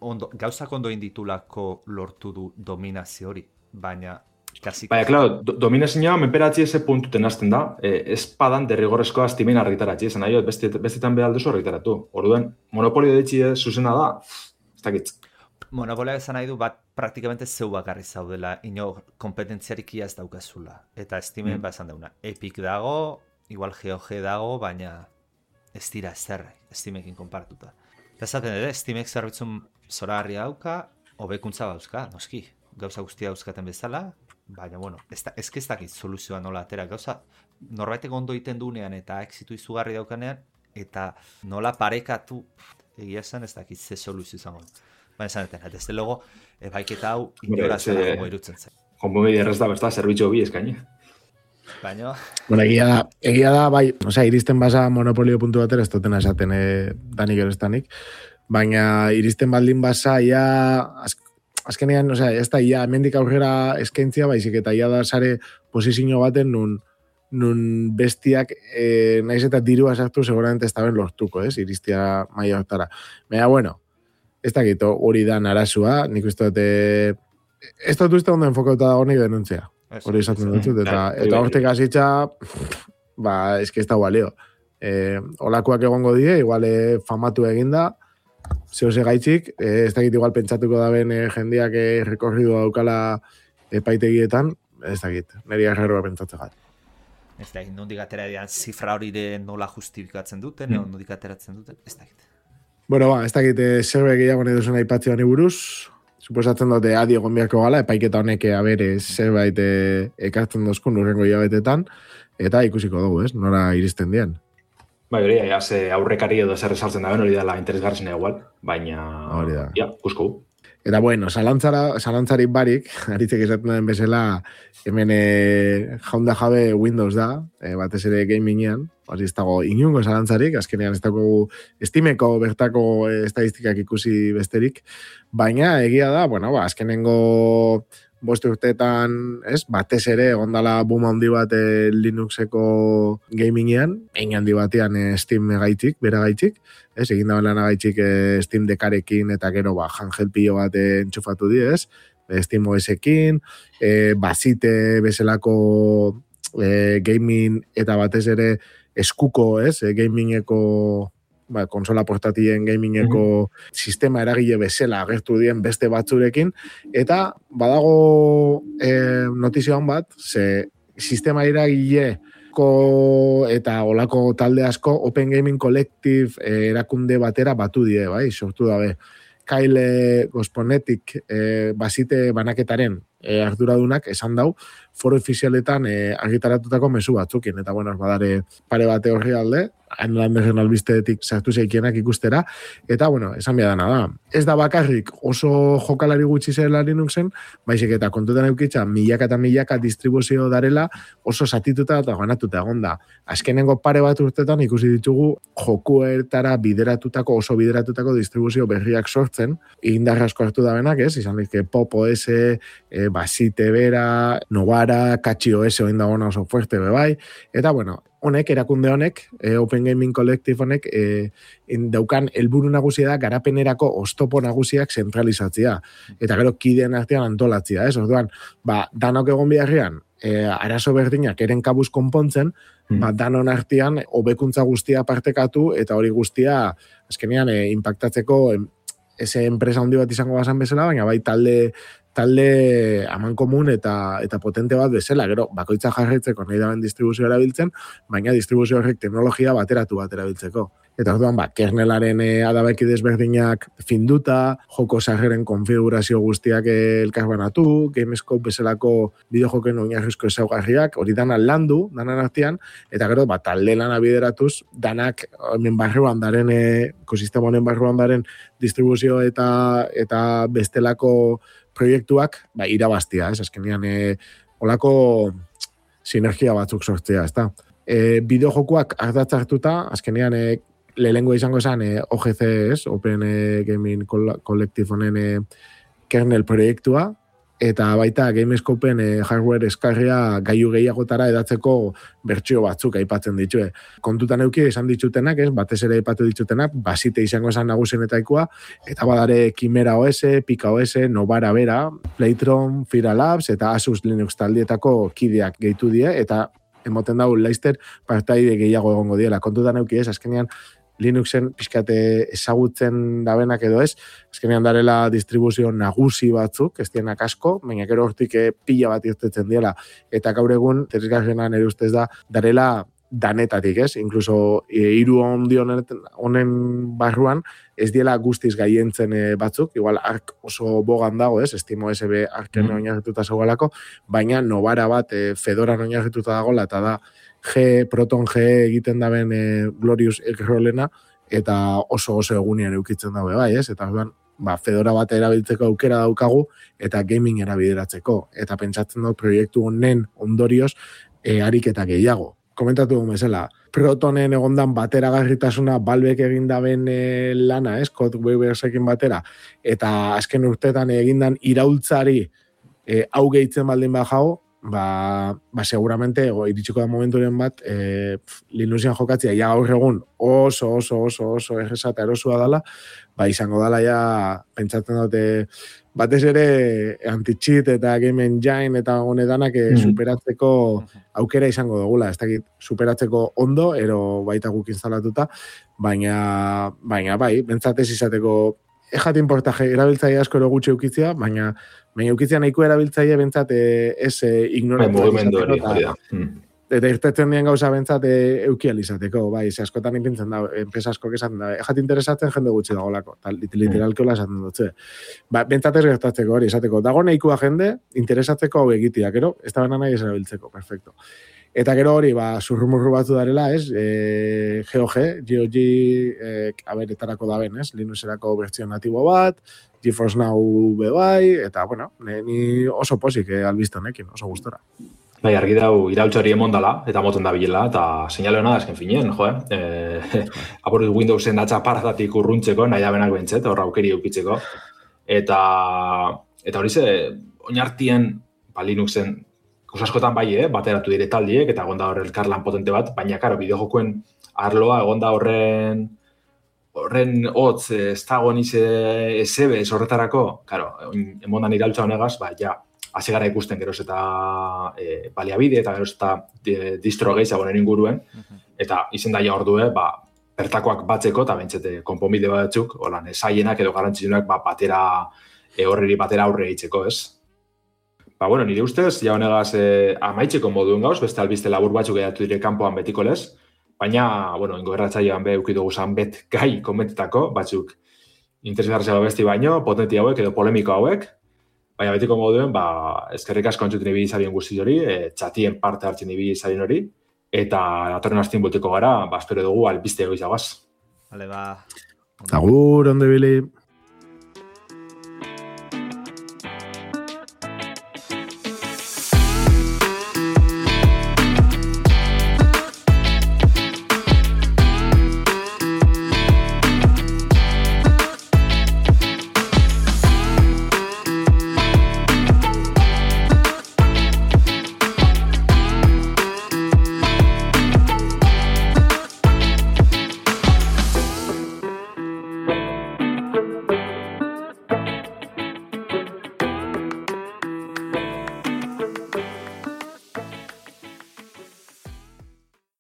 Ondo, gauzak ondo inditulako lortu du dominazio hori, baina kasik... Baina, klaro, do, dominazioa menperatzi eze puntuten hasten da, e, ez padan derrigorrezkoa Steamen argitaratzi, esan nahi, beste, bestetan behar duzu argitaratu. Orduan, monopolio ditzi zuzena da, ez dakit. Monopolio esan nahi du, bat praktikamente zeu bakarri zaudela, ino kompetentziarik ez daukazula. Eta Steamen mm. ba esan dauna, Epic dago, igual G O G dago, baina ez dira ezer, Steamekin konpartuta. Ezaten ere, Steamek zerbitzun zoragarri dauka, hobekuntza dauzka, noski. Gauza guztia dauzkaten bezala, baina, bueno, ez ez dakit soluzioa nola atera. Gauza, norbaitek ondo egiten duenean eta exitu izugarri daukanean, eta nola parekatu, egia esan ez dakit ze soluzio izango. Baina esan eten, ez logo, ebaiketa hau inora zela jongo irutzen zen. Konponbide errez da, besta, zerbitzu bi eskaini. Baina... Bueno, egia da, egia da, bai, osea, iristen basa monopolio puntu batera, ez dutena esaten eh, danik erestanik, baina iristen baldin basa, ia, az, azkenean, osea, ez da, ia, hemendik aurrera eskaintzia, baizik, eta ia da sare posizio baten, nun, nun bestiak, eh, naiz eta dirua sartu, seguramente ez da ben lortuko, ez, iristia maia hortara. Baina, bueno, ez dakit, hori da narazua, nik uste dute, ez dut uste ondo enfokauta da honik denuntzia. Hori esaten dut, eta, eta hortek hasitza, ba, eski ez da balio. E, olakoak egongo die, igual e, famatu eginda, zehose gaitzik, e, ez dakit igual pentsatuko da ben e, jendeak e, rekorridu daukala epaitegietan, ez dakit, niri errerroa pentsatzen gat. Ez dakit, nondik atera dian zifra hori de nola justifikatzen duten, mm. nondik ateratzen duten, ez dakit. Bueno, ba, ez dakit, e, zerbait gehiago nahi duzuna aipatzea honi buruz, suposatzen dute adi egon beharko gala, epaiketa honek abere zerbait ekartzen dozkun urrengo hilabetetan, eta ikusiko dugu, ez? Nora iristen dien. Bai, hori, ja, ze aurrekari edo zer esartzen da ben, hori dela interesgartzen igual, baina, hori da. Ja, kusko. Eta bueno, zalantzara, zalantzarik barik, aritzek esaten den bezala, hemen e, jaunda jabe Windows da, e, batez ere gamingean, hori ez dago inungo zalantzarik, azkenean ez dago Steameko bertako e, estadistikak ikusi besterik, baina egia da, bueno, ba, azkenengo boste urteetan, ez, batez ere, ondala boom handi bat e, Linuxeko gamingean, egin handi batean e, Steam gaitzik, bera gaitzik, ez, egin da lan gaitzik e, Steam dekarekin, eta gero, ba, handheld pilo bat e, entxufatu di, ez, e, Steam O S-ekin, e, bazite bezalako e, gaming, eta batez ere eskuko, ez, e, gamingeko, ba, konsola portatien gamingeko mm-hmm. sistema eragile bezala agertu dien beste batzurekin, eta badago e, notizioan bat, ze sistema eragile eta olako talde asko Open Gaming Collective e, erakunde batera batu die, bai, sortu dabe. Kyle Gosponetik e, bazite banaketaren e, arduradunak esan dau, foro ofizialetan e, argitaratutako mezu batzukin, eta bueno, badare pare bate horri alde, Landerren albisteetik sartu zeikienak ikustera, eta bueno, esan behar dana da. Ez da bakarrik oso jokalari gutxi zela Linuxen, baizik eta kontutan eukitza milaka eta milaka distribuzio darela oso satituta eta ganatuta egonda. Azkenengo pare bat urtetan ikusi ditugu jokuetara bideratutako, oso bideratutako distribuzio berriak sortzen, indarra asko hartu da benak, ez? Izan dizke Pop O S, e, Basite Bera, Novara, Catchy O S oin dagona oso fuerte bebai, eta bueno, honek, erakunde honek, e, Open Gaming Collective honek, e, daukan helburu nagusia da garapenerako oztopo nagusiak zentralizatzea. Eta gero kideen artean antolatzea, ez? Orduan, ba, danok egon biharrean, e, arazo berdinak eren kabuz konpontzen, mm. ba, danon artean hobekuntza guztia partekatu, eta hori guztia, azkenean, e, impactatzeko, em, eze enpresa handi bat izango bazan bezala, baina bai talde talde aman komun eta eta potente bat bezala, gero bakoitza jarraitzeko nahi daben distribuzio erabiltzen, baina distribuzio horrek teknologia bateratu bat erabiltzeko. Eta orduan, ba, kernelaren e, adabeki desberdinak finduta, joko sarreren konfigurazio guztiak elkarbanatu, Gamescope bezalako bideojoken oinarrizko ezaugarriak, hori dana landu, danan artean, eta gero, ba, talde lana bideratuz, danak hemen barruan daren, e, ekosistema honen barruan daren distribuzio eta eta bestelako proiektuak, ba, irabaztia, ez, azkenean, e, olako sinergia batzuk sortzea, ez da. E, bideojokuak ardatz hartuta, azkenean, e, lehengo izango esan e, O G C, ez, Open e, Gaming Collective honen e, kernel proiektua, eta baita Gamescopen e, hardware eskarria gailu gehiagotara edatzeko bertsio batzuk aipatzen ditue. Kontutan euki esan ditutenak, ez, batez ere aipatu ditutenak, Basite izango esan nagusienetaikoa, eta badare Chimera O S, Pika O S, Novara Bera, Playtron, Fira Labs, eta Asus Linux taldietako kideak gehitu die, eta emoten dau Leicester partaide gehiago egongo diela. Kontutan euki ez, azkenean Linuxen pixkate ezagutzen dabenak edo ez, azkenean darela distribuzio nagusi batzuk, ez dienak asko, baina gero hortik pila bat irtetzen diela. Eta gaur egun, terizgarrena nire ustez da, darela danetatik, ez? Inkluso hiru ondi honen barruan, ez diela guztiz gaientzen batzuk, igual ark oso bogan dago, ez? Estimo S B arken mm. oinarrituta zegoelako, baina Novara bat e, Fedoran oinarrituta dagoela, eta da G, Proton G egiten daben e, Glorious X-Rollena, eta oso oso egunean eukitzen dago, bai, ez? Eta orduan, ba, Fedora bat erabiltzeko aukera daukagu, eta gaming erabideratzeko. Eta pentsatzen dut proiektu honen ondorioz, e, ariketa gehiago. Komentatu dugu bezala, Protonen egondan bateragarritasuna Valvek egin daben e, lana, ez? Code Weaversekin batera, eta azken urtetan egindan iraultzari e, hau gehitzen baldin bajago, ba, ba seguramente ego, iritsiko da momenturen bat e, Linuxian jokatzea ja gaur egun oso oso oso oso erresa eta erosua dela, ba izango dela ja pentsatzen dute batez ere anti-cheat eta game engine eta honedanak mm. superatzeko aukera izango dugula, ez dakit superatzeko ondo, ero baita guk instalatuta, baina baina bai, bentsatez izateko ejat importaje erabiltzaile asko ero gutxi eukitzea, baina baina eukitzea nahiko erabiltzaile bentsat ez ignoratzea. Eta irtetzen dien gauza bentsat eukial izateko, bai, ze askotan ipintzen da, enpresa asko esaten da, ejat interesatzen jende gutxi dagolako, tal, literalki hola esaten dutze. Ba, bentsat ez gertatzeko hori, esateko, dago nahikoa jende, interesatzeko hau egitea, gero, ez da bena nahi ez erabiltzeko, perfecto. Eta gero hori, ba, zurrumurru batzu darela, ez, e, G O G, G O G, e, aberetarako da ben, ez, Linuxerako bertzio natibo bat, GeForce Now bebai, eta, bueno, ni oso posik eh, albizte honekin, oso gustora. Bai, argi dau iraultzari emondala, eta moten da bilela, eta seinale hona da esken finien, jo, eh? E, apur Windowsen datza paratatik urruntzeko, nahi da benak bentzet, horra aukeri eukitzeko. Eta, eta hori ze, oinartien, ba, Linuxen, askotan bai, eh? Bateratu dire taldiek, eta egonda horre elkarlan potente bat, baina, karo, bideojokuen arloa, egonda horren, horren hotz, ez dago nize ezebe, horretarako, karo, emondan iraultza honegaz, ba, ja, hasi gara ikusten geroz eta e, baliabide eta geroz eta e, distro gehiagoen inguruen, eta izen daia ordue, ba, bertakoak batzeko eta bentsete konponbide batzuk, holan, zaienak edo garrantzitsunak ba, batera, e, horreri batera aurre eitzeko, ez? Ba, bueno, nire ustez, ja honegaz e, amaitzeko moduen gauz, beste albiste labur batzuk edatu dire kanpoan betiko lez, baina, bueno, ingo erratzailean be eukidugu zan bet gai komentetako, batzuk interesgartzea besti baino, potenti hauek edo polemiko hauek, baina betiko moduen, ba, eskerrik asko entzuten ibili zarien guzti hori, e, txatien parte hartzen ibili zarien hori, eta datorren astien boteko gara, ba, espero dugu albiste egoiz jagaz. Vale, ba. Agur, onde bili.